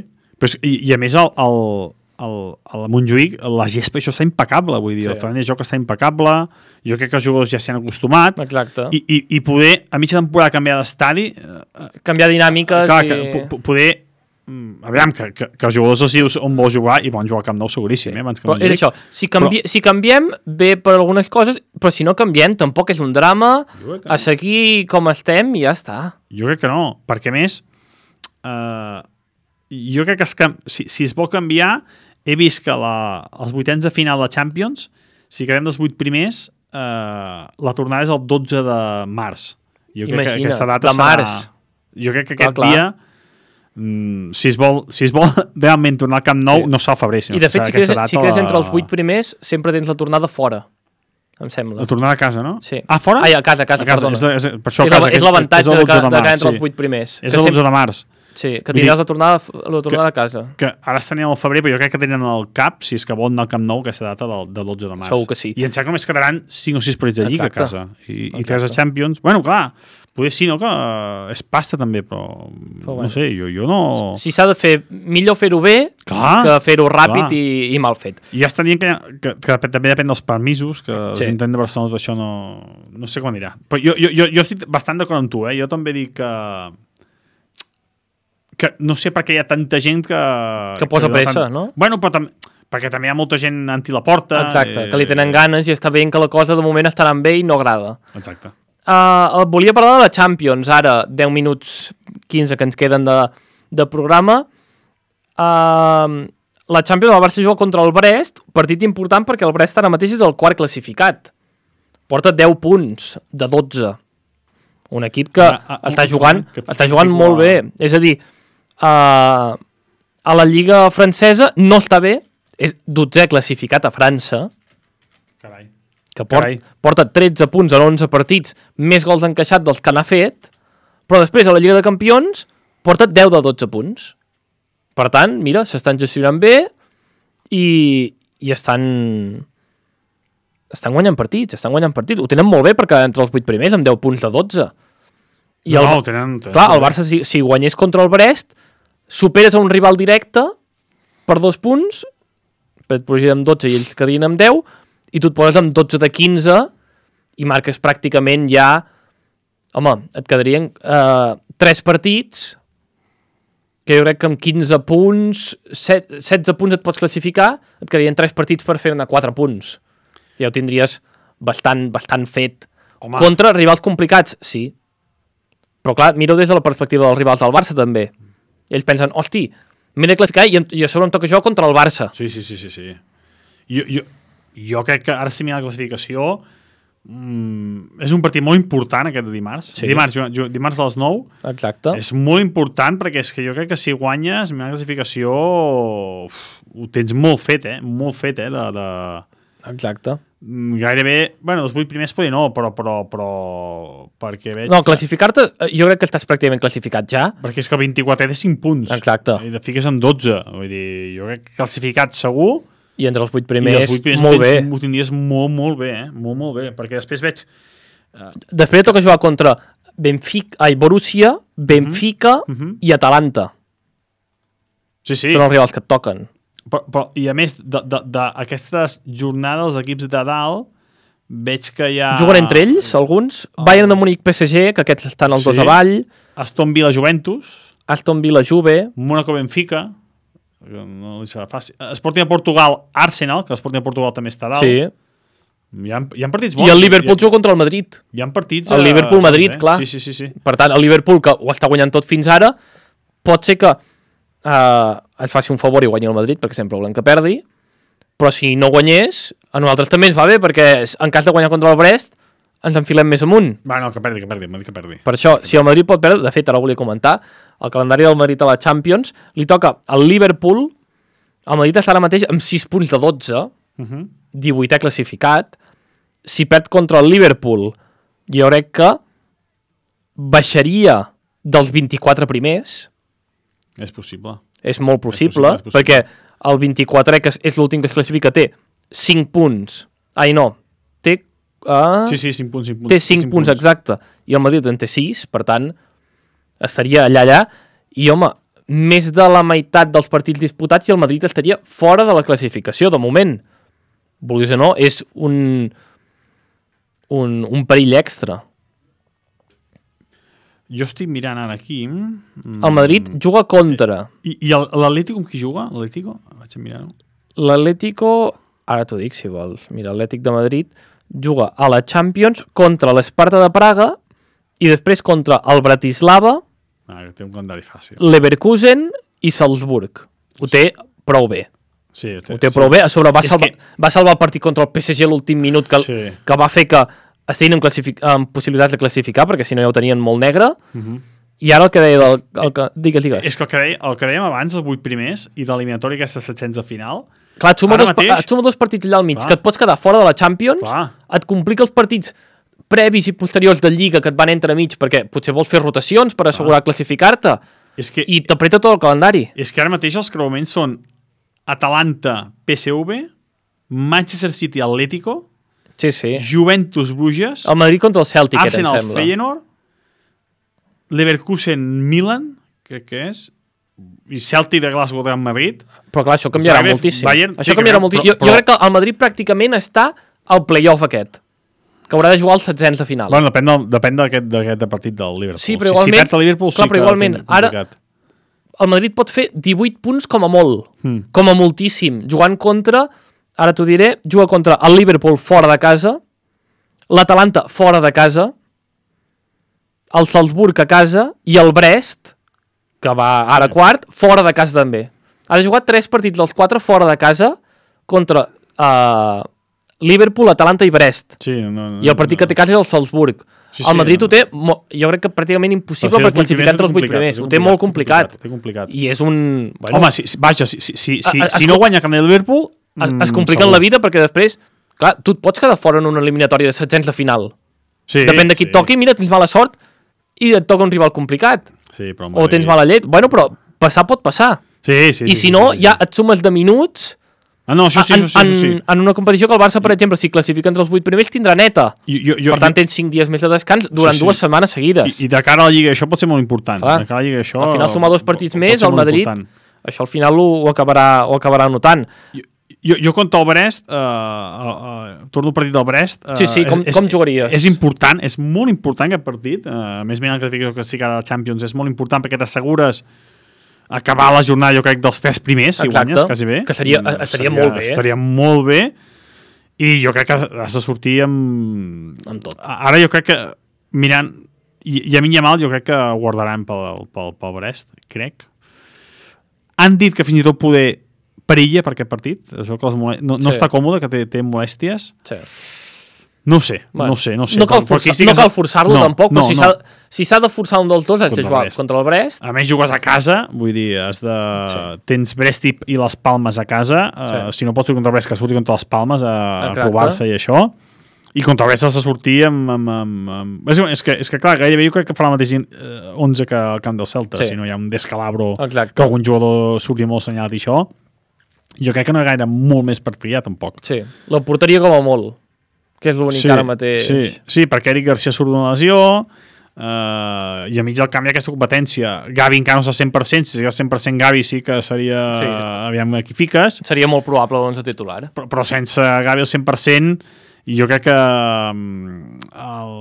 i a més al Montjuïc la gespa això està impecable, vull dir, el terreny de joc està impecable, jo crec que els jugadors ja s'hi han acostumat. Exacte. I poder a mitja temporada canviar d'estadi... Canviar dinàmiques poder aviam, que els jugadors decisius on vol jugar i volen jugar al Camp Nou seguríssim, abans que però és això, si canviem bé per algunes coses, però si no canviem tampoc és un drama, a seguir com estem i ja està. Jo crec que no, perquè a més jo crec que si es vol canviar, he vist que els vuitens de final de Champions, si quedem dels 8 primers, la tornada és el 12 de març. Jo crec que aquesta data març. Jo crec que aquest dia, si es vol realment tornar al Camp Nou, no serà al febrer, sinó i de fet, si quedes entre els 8 primers, sempre tens la tornada fora, em sembla. La tornada a casa, no? Sí. Ah, fora? A casa, perdona. Per això a casa. És l'avantatge de quedar entre els 8 primers. És el 12 de març. Sí, que tindràs la tornada a casa. Que ara estan al febrer, però jo crec que tenen al cap, si és que volen anar al Camp Nou, aquesta data del 12 de març. Segur que sí. I em sembla que només quedaran 5 o 6 partits de Lliga a casa. I 3 de Champions. Bueno, clar, potser sí, no? Que és pasta també, però no sé, jo no... Si s'ha de fer, millor fer-ho bé que fer-ho ràpid i mal fet. I ja estan dient que també depèn dels permisos, que l'Ajuntament de Barcelona això no sé com anirà. Però jo estic bastant d'acord amb tu, Jo també dic que no sé per què hi ha tanta gent que posa pressa, no? Bueno, però perquè també hi ha molta gent anti la porta. Exacte, que li tenen ganes i està veient que la cosa de moment estarà bé i no agrada. Exacte. Volia parlar de la Champions, ara, 10 minuts 15 que ens queden de programa. La Champions, el Barça juga contra el Brest, partit important perquè el Brest ara mateix és el quart classificat. Porta 10 punts de 12. Un equip que està jugant molt bé. És a dir, a la Lliga francesa no està bé, és 12è classificat a França. Carai. Que porta 13 punts en 11 partits, més gols encaixat dels que n'ha fet, però després a la Lliga de Campions porta 10 de 12 punts. Per tant, mira, s'estan gestionant bé i estan guanyant partits, Ho tenen molt bé perquè entre els 8 primers amb 10 punts de 12. I clar, el Barça, si guanyés contra el Brest, superes a un rival directe per 2 punts, et posició amb 12 i ells quedin amb 10, i tu et poses amb 12 de 15 i marques pràcticament ja... Home, et quedarien 3 partits, que jo crec que amb 15 punts, 16 punts et pots classificar, et quedarien 3 partits per fer-ne 4 punts. Ja ho tindries bastant fet. Home. Contra rivals complicats, sí. Però clar, miro des de la perspectiva dels rivals del Barça també. Ells pensen, hosti, m'he de classificar i a sobre em toca jo contra el Barça. Sí. Jo crec que ara si mira la classificació és un partit molt important aquest de dimarts. Sí. Dimarts a les 9. Exacte. És molt important perquè és que jo crec que si guanyes mira la classificació ho tens molt fet, molt fet, Exacte. Gairebé, bueno, els 8 primers podria no, però perquè veig... No, classificar-te, jo crec que estàs pràcticament classificat ja. Perquè és que el 24 té 5 punts. Exacte. I te fiques amb 12. Vull dir, jo crec que classificat segur. I entre els 8 primers, molt bé. Ho tindries molt bé, molt bé, perquè després veig... Després toca jugar contra Borussia, Benfica i Atalanta. Sí. Són els rivals que et toquen. Però, i a més d'aquestes jornades, els equips de dalt, veig que hi ha... Juguen entre ells, alguns. Bayern de Múnich, PSG, que aquests estan els dos avall. Aston Villa, Juventus. Aston Villa, Juve. Mónaco, Benfica. No li serà fàcil. Sporting de Portugal, Arsenal, que l'Sporting de Portugal també està dalt. Sí. Hi ha partits bons. I el Liverpool juga contra el Madrid. Hi ha partits... El Liverpool-Madrid, clar. Sí. Per tant, el Liverpool, que ho està guanyant tot fins ara, pot ser que ens faci un favor i guanyi el Madrid, perquè sempre volem que perdi, però si no guanyés, a nosaltres també ens va bé, perquè en cas de guanyar contra el Brest, ens enfilem més amunt. No, que perdi, que perdi. Per això, si el Madrid pot perdre, de fet, ara ho volia comentar, el calendari del Madrid a la Champions, li toca al Liverpool, el Madrid està ara mateix amb 6 punts de 12, 18è classificat, si perd contra el Liverpool, jo crec que baixaria dels 24 primers. És possible. És molt possible, perquè el 24è, que és l'últim que es classifica, té 5 punts. Ai, no. Té... Sí, 5 punts. Té 5 punts, exacte. I el Madrid en té 6, per tant, estaria allà. I, home, més de la meitat dels partits disputats i el Madrid estaria fora de la classificació, de moment. Vulguis o no, és un perill extra. Jo estic mirant ara aquí. El Madrid juga contra... I l'Atlético amb qui juga? L'Atlético? Vaig a mirar-ho. L'Atlético, ara t'ho dic si vols, mira, l'Atlètic de Madrid juga a la Champions contra l'Esparta de Praga i després contra el Bratislava, Que té un calendari fàcil. Leverkusen i Salzburg. Ho té prou bé. Sí, Ho té prou bé. A sobre va salvar el partit contra el PSG a l'últim minut que va fer que estiguin amb possibilitats de classificar, perquè si no ja ho tenien molt negre. I ara el que deia... Digues. És que el que dèiem abans, els 8 primers, i de l'eliminatori aquesta setzents de final... Clar, et suma dos partits allà al mig, que et pots quedar fora de la Champions, et complica els partits previs i posteriors de Lliga que et van entremig, perquè potser vols fer rotacions per assegurar classificar-te, i t'apreta tot el calendari. És que ara mateix els creuaments són Atalanta, PSV, Manchester City, Atlético, Juventus, Bruges, el Madrid contra el Celtic, Arsenal, Feyenoord, Leverkusen, Milan, crec que és, i Celtic de Glasgow de Madrid. Però clar, això canviarà moltíssim. Bayern, això canviarà moltíssim. Jo crec que el Madrid pràcticament està al play-off aquest, que haurà de jugar els setzents de final. Bueno, depèn d'aquest partit del Liverpool. Sí, però igualment, si perd el Liverpool, sí que igualment, ara el Madrid pot fer 18 punts com a molt, com a moltíssim, jugant contra, ara t'ho diré, juga contra el Liverpool fora de casa, l'Atalanta fora de casa, el Salzburg a casa i el Brest, que va ara quart, fora de casa també. Ha jugat 3 partits dels 4 fora de casa contra Liverpool, Atalanta i Brest. Sí, I el partit que té casa és el Salzburg. El Madrid ho té, jo crec que pràcticament impossible per classificar entre els 8 primers. Ho té molt complicat. I és un... Home, si no guanya el Liverpool... Es compliquen la vida perquè després... Clar, tu et pots quedar fora en una eliminatòria de setzents de final. Depèn de qui et toqui, mira, tens mala sort i et toca un rival complicat. O tens mala llet. Bueno, però passar pot passar. I si no, ja et sumes de minuts... això sí. En una competició que el Barça, per exemple, si classifica entre els 8 primers, tindrà neta. Per tant, tens 5 dies més de descans durant 2 setmanes seguides. I de cara a la Lliga això pot ser molt important. Al final, sumar 2 partits més, el Madrid, això al final ho acabarà notant. Jo contra el Brest, torno al partit del Brest. Com jugaries? És important, és molt important aquest partit. Més ben el que estic ara a la Champions, és molt important perquè t'assegures acabar la jornada, jo crec, dels 3 primers, si guanyes, quasi bé. Que estaria molt bé. Estaria molt bé. I jo crec que has de sortir amb tot. Ara jo crec que, mirant, i a mi i a mal, jo crec que guardaran pel Brest, crec. Han dit que fins i tot poder perilla per aquest partit. Es veu que no està còmode, que té molèsties. Sí. No ho sé. No cal forçar-lo tampoc, però si s'ha de forçar un dels dos, has de jugar contra el Brest. A més, jugues a casa, vull dir, tens Brest i les Palmes a casa, si no pots jugar contra el Brest, que surti contra les Palmes a provar-se i això, i contra el Brest has de sortir amb... És que clar, gairebé jo crec que farà la mateixa 11 que al camp del Celta, si no hi ha un descalabro que algun jugador surti molt assenyalat i això. Jo crec que no hi ha gaire molt més per triar, tampoc. Sí, la porteria com a molt, que és l'únic ara mateix. Sí, perquè Eric Garcia surt d'una lesió i a mig del camp hi ha aquesta competència. Gavi encara no està 100%, si sigués 100% Gavi sí que seria... Aviam qui fiques. Seria molt probable l'11 titular. Però sense Gavi al 100%, i jo crec que al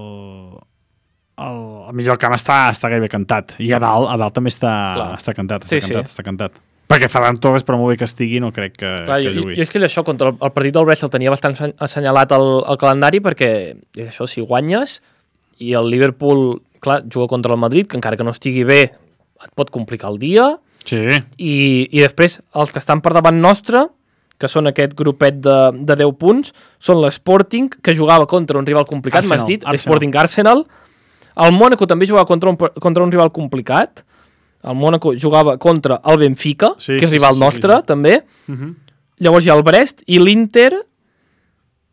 mig del camp està gairebé cantat. I a dalt també està cantat. Està cantat. Perquè Ferran Torres, per molt bé que estigui, no crec que jugui. Jo és que això, contra el partit del Brest el tenia bastant assenyalat al calendari, perquè això, si guanyes, i el Liverpool, clar, juga contra el Madrid, que encara que no estigui bé, et pot complicar el dia. Sí. I després, els que estan per davant nostre, que són aquest grupet de 10 punts, són l'Sporting, que jugava contra un rival complicat, m'has dit, Sporting Arsenal. El Mónaco també jugava contra un rival complicat. El Mónaco jugava contra el Benfica, que és rival nostre, també. Llavors hi ha el Brest i l'Inter...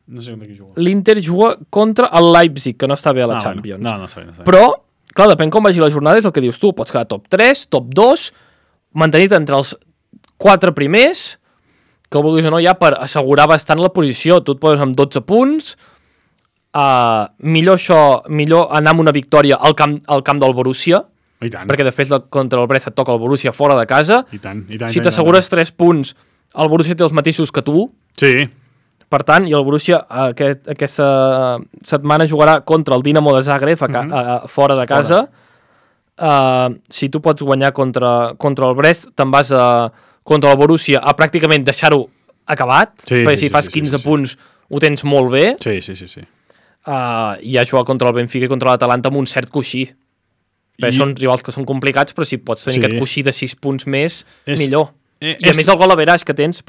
No sé contra qui juga. L'Inter juga contra el Leipzig, que no està bé a la Champions. No sé. Però, clar, depèn com vagi la jornada, és el que dius tu. Pots quedar top 3, top 2, mantenir-te entre els 4 primers, que ho vulguis o no, ja per assegurar bastant la posició. Tu et poses amb 12 punts, millor anar amb una victòria al camp del Borussia, perquè després contra el Brest et toca el Borussia fora de casa. Si t'assegures 3 punts, el Borussia té els mateixos que tu. Sí. Per tant, i el Borussia aquesta setmana jugarà contra el Dinamo de Zagreb fora de casa. si tu pots guanyar contra el Brest, te'n vas contra el Borussia a pràcticament deixar-ho acabat, perquè si fas 15 punts ho tens molt bé. Sí. I a jugar contra el Benfica i contra l'Atalanta amb un cert coixí. Perquè són rivals que són complicats, però si pots tenir aquest coixí de 6 punts més, millor. I a més el gol average que tens,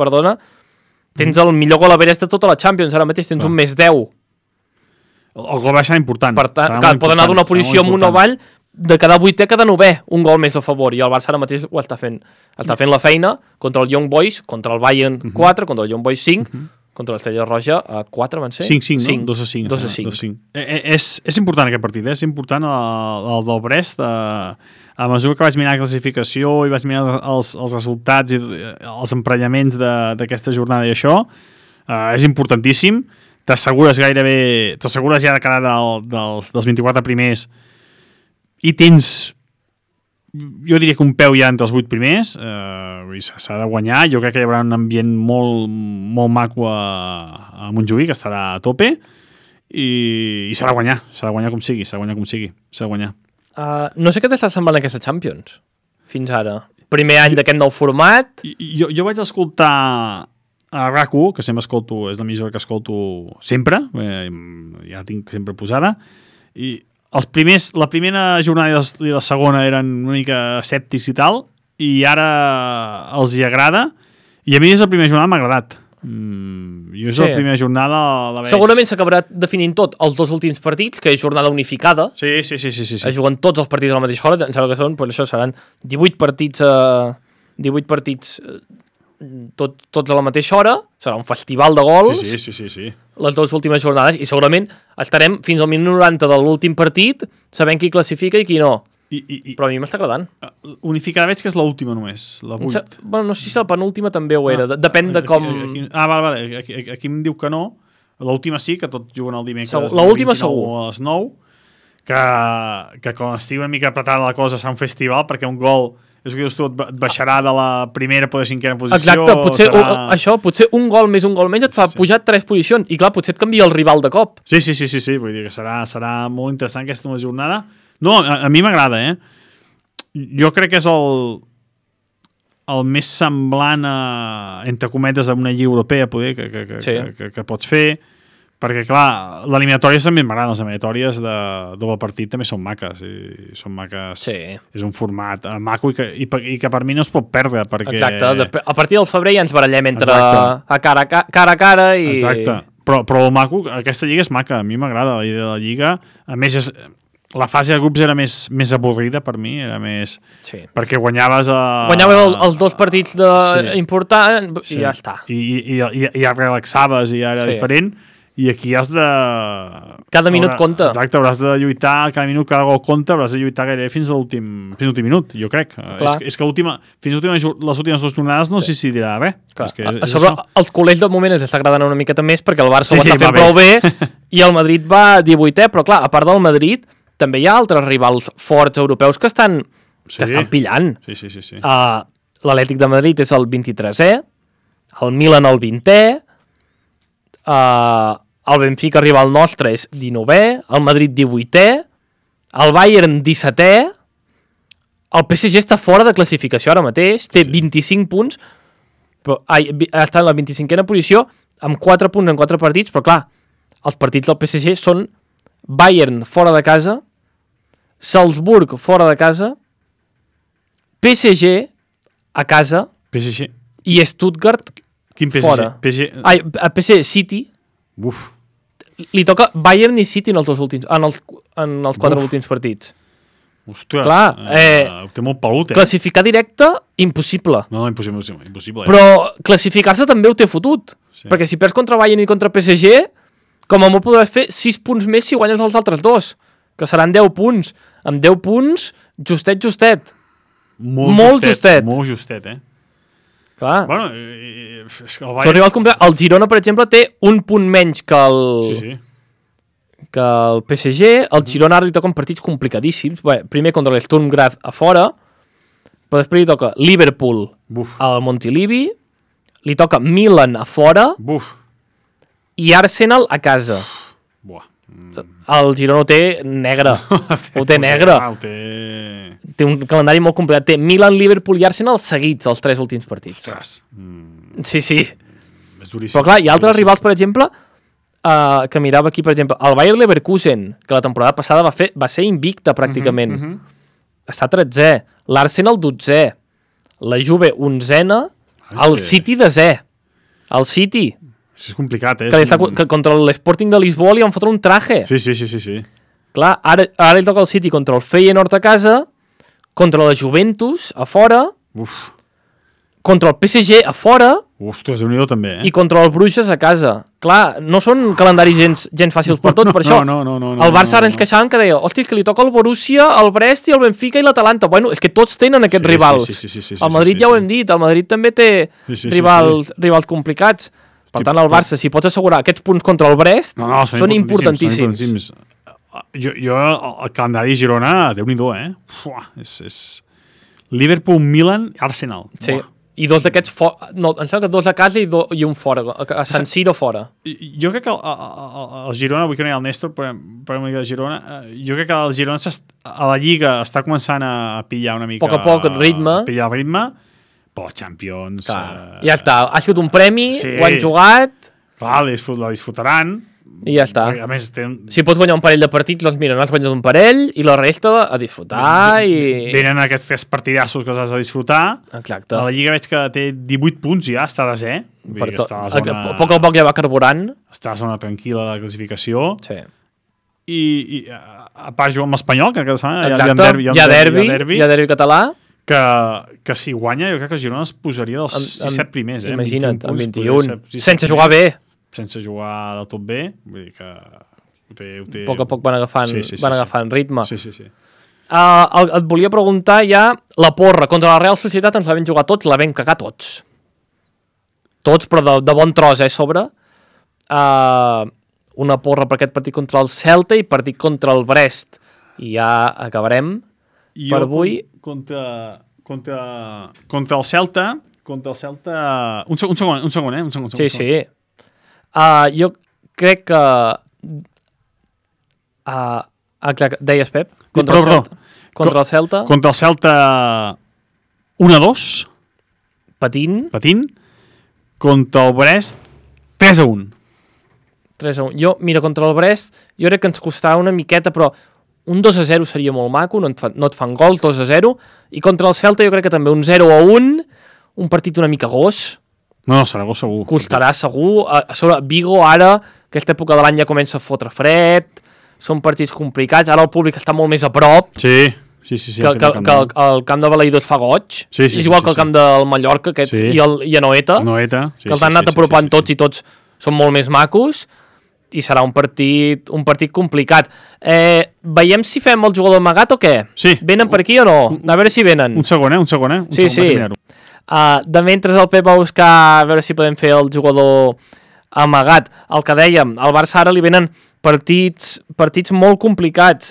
tens el millor gol average de tota la Champions, ara mateix tens un més 10. El gol serà important. Per tant, pot anar d'una posició amunt o avall, de cada 8è a cada 9è, un gol més a favor, i el Barça ara mateix ho està fent. Està fent la feina contra el Young Boys, contra el Bayern 4, contra el Young Boys 5, contra l'Estrella Roja 4 van ser? 5, no? 2-5. És important aquest partit, és important el del Brest. A mesura que vaig mirar la classificació i vaig mirar els resultats i els emprenyaments d'aquesta jornada i això, és importantíssim. T'assegures ja de quedar dels 24 primers i tens, jo diria que un peu ja entre els 8 primers, s'ha de guanyar. Jo crec que hi haurà un ambient molt, molt maco a Montjuïc, que estarà a tope, i s'ha de guanyar com sigui, s'ha de guanyar. No sé què t'està semblant aquesta Champions, fins ara. Primer any d'aquest nou format. Jo vaig escoltar a RAC1, que sempre escolto, és l'emissora que escolto sempre, ja la tinc sempre posada, i la primera jornada i la segona eren una mica escèptics i tal, i ara els hi agrada, i a mi és la primera jornada m'ha agradat. Jo és la primera jornada la veig. Segurament s'acabarà definint tot els dos últims partits, que és jornada unificada. Sí. Es juguen tots els partits a la mateixa hora, em sembla que són, però això seran 18 partits tots a la mateixa hora, serà un festival de gols. Sí. Les dues últimes jornades, i segurament estarem fins al minut 90 de l'últim partit sabent qui classifica i qui no. Però a mi m'està agradant. Unificada veig que és l'última només, la 8. No sé si la penúltima també ho era, depèn de com... Vale, aquí em diu que no, l'última sí, que tots juguen el dimecres l'última segur. A les 9, que quan estigui una mica apretada la cosa serà un festival, perquè un gol és que dius tu, et baixarà de la primera a la cinquena posició. Exacte, potser un gol més et fa pujar 3 posicions, i clar, potser et canvia el rival de cop. Sí, vull dir que serà molt interessant aquesta jornada. No, a mi m'agrada, Jo crec que és el més semblant entre cometes a una lliga europea poder que pots fer, perquè clar, l'eliminatòries també m'agraden, les eliminatòries de doble partit també són maques, és un format maco i que per mi no es pot perdre, perquè... Exacte, a partir del febrer ja ens barallem entre cara a cara i... Exacte, però el maco, aquesta lliga és maca, a mi m'agrada la idea de la lliga, a més la fase de grups era més avorrida per mi, era més... Sí. Perquè guanyaves els dos partits importants i ja està. I ja relaxaves i ja era diferent, i aquí has de... Cada minut compta. Exacte, hauràs de lluitar, cada minut, cada gol compta, hauràs de lluitar gairebé fins a l'últim minut, jo crec. És que fins a les últimes 2 jornades no sé si dirà res. A sobre, els culers del moment ens està agradant una miqueta més perquè el Barça ho està fent prou bé i el Madrid va 18è, però clar, a part del Madrid també hi ha altres rivals forts europeus que estan pillant. Sí. L'Atlètic de Madrid és el 23è, el Milan el 20è, el Benfica rival nostre és 19è, el Madrid 18è, el Bayern 17è, el PSG està fora de classificació ara mateix, té 25 punts, però està en la 25a posició, amb 4 punts en 4 partits, però clar, els partits del PSG són Bayern fora de casa, Salzburg fora de casa, PSG a casa i Stuttgart fora. PSG City. Uf. Li toca Bayern i City en els 4 últims partits. Ostres, clar, té molt pelut, classificar directe, impossible. No, impossible. Però classificar-se també ho té fotut. Perquè si perds contra Bayern i contra PSG, com a molt podràs fer 6 punts més si guanyes els altres 2, que seran 10 punts. Amb 10 punts, justet. Molt justet, Clar. Bueno, el Girona, per exemple, té un punt menys que el PSG. El Girona ara li toquen partits complicadíssims. Bé, primer contra l'Sturm Graz a fora, però després li toca Liverpool al Montilivi, li toca Milan a fora i Arsenal a casa. El Girona ho té negre. Ho té negre. Té un calendari molt complicat. Té Milan, Liverpool i Arsenal seguits els 3 últims partits. Ostres. Sí. És duríssim. Però clar, hi ha altres rivals, per exemple, que mirava aquí, per exemple, el Bayer Leverkusen, que la temporada passada va ser invicta pràcticament. Està 13è. L'Arsenal 12è. La Juve 11a. El City 10è. El City. És complicat, Que contra l'Sporting de Lisboa li van fotre un traje. Sí. Clar, ara li toca el City contra el Feyenoord a casa, contra la Juventus a fora, contra el PSG a fora, ostres, Déu-n'hi-do també, i contra el Bruges a casa. Clar, no són calendaris gens fàcils per tot, per això. No. El Barça ara ens queixaven que deia, hòstia, que li toca el Borussia, el Brest i el Benfica i l'Atalanta. Bueno, és que tots tenen aquests rivals. Sí, el Madrid ja ho hem dit, el Madrid també té rivals complicats. Per tant, el Barça, si pots assegurar aquests punts contra el Brest, són importantíssims. Jo, el calendari de Girona, Déu-n'hi-do, és Liverpool, Milan, Arsenal. Sí, i 2 d'aquests fora. No, em sembla que 2 a casa i un fora, a San Siro fora. Jo crec que el Girona, avui que no hi ha el Néstor, però una mica de Girona, jo crec que el Girona a la Lliga està començant a pillar una mica... A poc ritme. Pillar ritme, però Champions... ja està, ha sigut un premi, ho han jugat... Clar, la disfrutaran... I ja està. A més, si pots guanyar un parell de partits, doncs mira, n'has guanyat un parell i la resta a disfrutar i... Venen aquests 3 partidassos que els has de disfrutar. Exacte. A la Lliga veig que té 18 punts ja, està a 10è. A poc ja va carburant. Està a zona tranquil·la de la classificació. Sí. I a part juga amb l'Espanyol, que cada setmana hi ha derbi català. Que si guanya, jo crec que Girona es posaria dels 17 primers. Imagina't, amb 21. Sense jugar bé. Sense jugar del tot bé, vull dir que a poc van agafant ritme. Sí. Et volia preguntar ja la porra contra la Real Societat. Ens la vam jugar tots, la vam cagar tots, però de bon tros, sobre una porra per aquest partit contra el Celta i partit contra el Brest, i ja acabarem per avui. Contra el Celta un segon. Sí. Jo crec que... deies, Pep? Contra el Celta? Contra el Celta 1-2. Patint. Contra el Brest 3-1. 3-1. Mira, contra el Brest, jo crec que ens costarà una miqueta, però un 2-0 seria molt maco, no et fan gols, 2-0. I contra el Celta jo crec que també un 0-1, un partit una mica gos. No, serà gol segur. Costarà segur. A sobre, Vigo ara, aquesta època de l'any ja comença a fotre fred, són partits complicats, ara el públic està molt més a prop. Sí. Que el camp de Balaïdor fa goig. És igual que el camp del Mallorca i Anoeta, que els han anat apropant tots i tots són molt més macos, i serà un partit complicat. Veiem si fem el jugador amagat o què? Sí. Venen per aquí o no? A veure si venen. Un segon. Sí. De mentre el Pep va buscar a veure si podem fer el jugador amagat. El que dèiem, al Barça ara li venen partits molt complicats.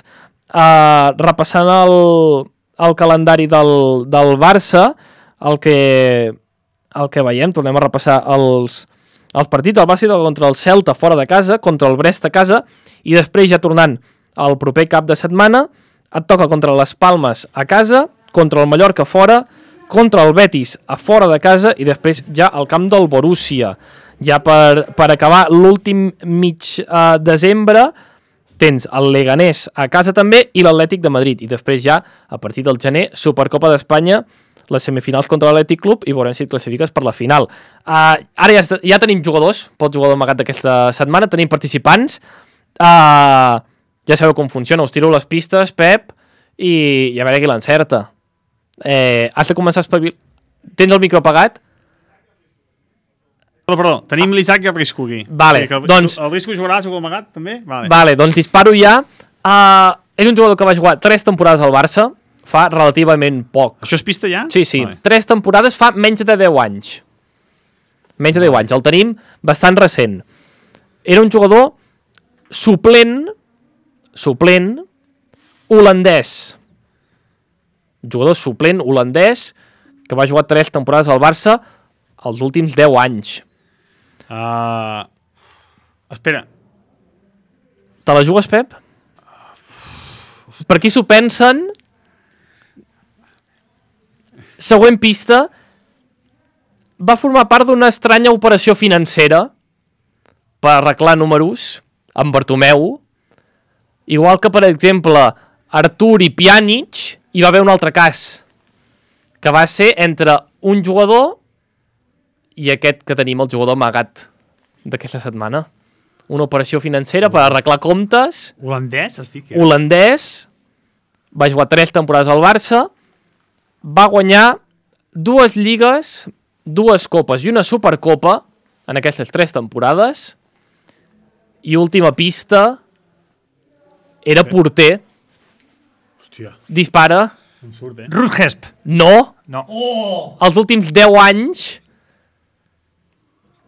Repassant el calendari del Barça, el que veiem, tornem a repassar els partits. El Barça contra el Celta fora de casa, contra el Brest a casa, i després ja tornant al proper cap de setmana et toca contra les Palmes a casa, contra el Mallorca fora, contra el Betis a fora de casa i després ja al camp del Borussia. Ja per acabar l'últim mig desembre tens el Leganés a casa també i l'Atlètic de Madrid. I després ja, a partir del gener, Supercopa d'Espanya, les semifinals contra l'Atlètic Club i veurem si et classifiques per la final. Ara ja tenim jugadors pel jugador amagat d'aquesta setmana, tenim participants. Ja sabeu com funciona, us tiro les pistes, Pep, i a veure qui l'encerta. Has de començar a espavilar. Tens el micro apagat? Perdó, tenim l'Isaac i el Risco aquí. Vale, doncs... El Risco jugarà a segon amagat, també? Vale, doncs disparo ja. És un jugador que va jugar 3 temporades al Barça, fa relativament poc. Això és pista ja? Sí. Vale. 3 temporades fa menys de 10 anys. Menys de 10 anys. El tenim bastant recent. Era un jugador suplent holandès. Jugador suplent holandès que va jugar 3 temporades al Barça els últims 10 anys. Espera. Te la jugues, Pep? Per qui s'ho pensen? Següent pista. Va formar part d'una estranya operació financera per arreglar números amb Bartomeu. Igual que, per exemple, Artur i Pjanic, hi va haver un altre cas, que va ser entre un jugador i aquest que tenim, el jugador amagat d'aquesta setmana. Una operació financera per arreglar comptes. Holandès, estic? Holandès. Va jugar 3 temporades al Barça. Va guanyar 2 lligues, 2 copes i una supercopa en aquestes 3 temporades. I última pista, era porter. Hòstia, Dispara. em surt, Ruud Hesp. No. No. Els últims 10 anys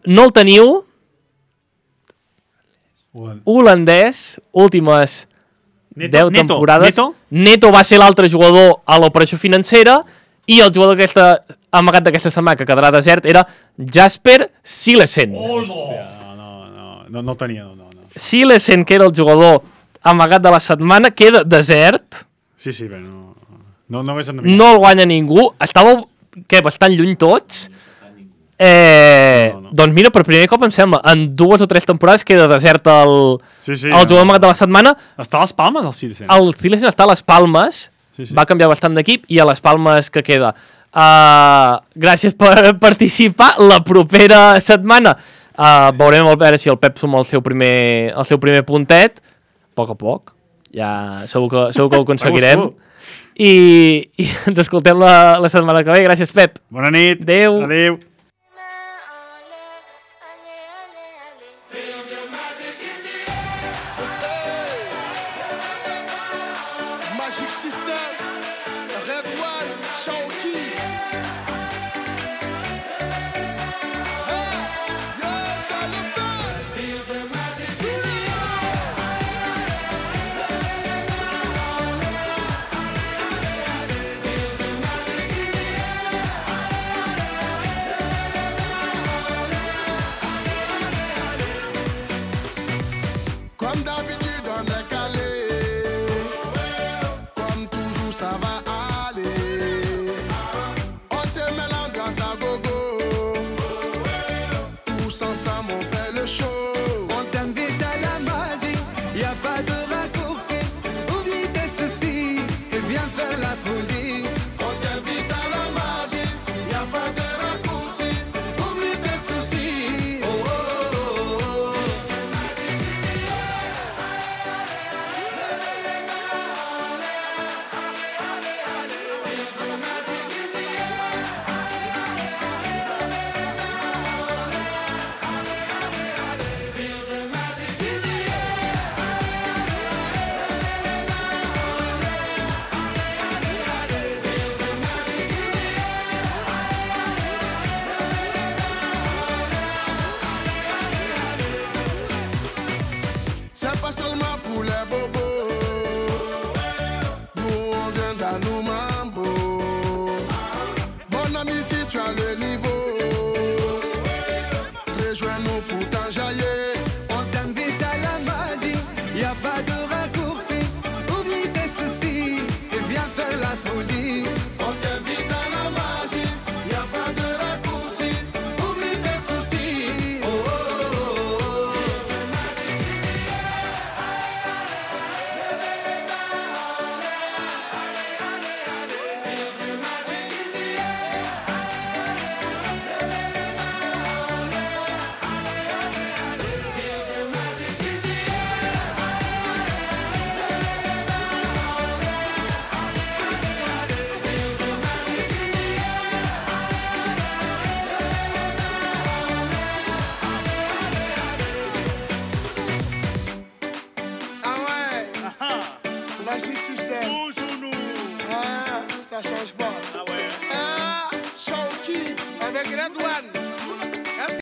no el teniu. Holandès, últimes 10 temporades. Neto va ser l'altre jugador a l'operació financera i el jugador amagat d'aquesta setmana que quedarà desert era Jasper Silesen. No tenia, no. Silesen, que era el jugador amagat de la setmana, queda desert. Sí, bé, no hagués endevinat. No el guanya ningú. Estàveu, bastant lluny tots. Doncs mira, per primer cop em sembla, en 2 o 3 temporades queda desert el jugador amagat de la setmana. Està a les Palmes, el Silesen? El Silesen està a les Palmes, va canviar bastant d'equip i a les Palmes que queda. Gràcies per participar. La propera setmana veurem a veure si el Pep suma el seu primer puntet. A poc. Ja segur que ho aconseguirem. I ens escoltem la setmana que ve. Gràcies, Pep. Bona nit. Adéu. Ensemble on fait le show. On t'invite à la magie, y a pas de raccourci. Oublie tes soucis, c'est bien faire la folie. On t'invite à la magie, y a pas de raccourci. Oublie tes soucis. Oh oh oh oh. C'est pas seulement pour les bobos. Nous on vient dans nos mambo. Mon ami, si tu as le niveau, rejoins-nous pour t'enjailler.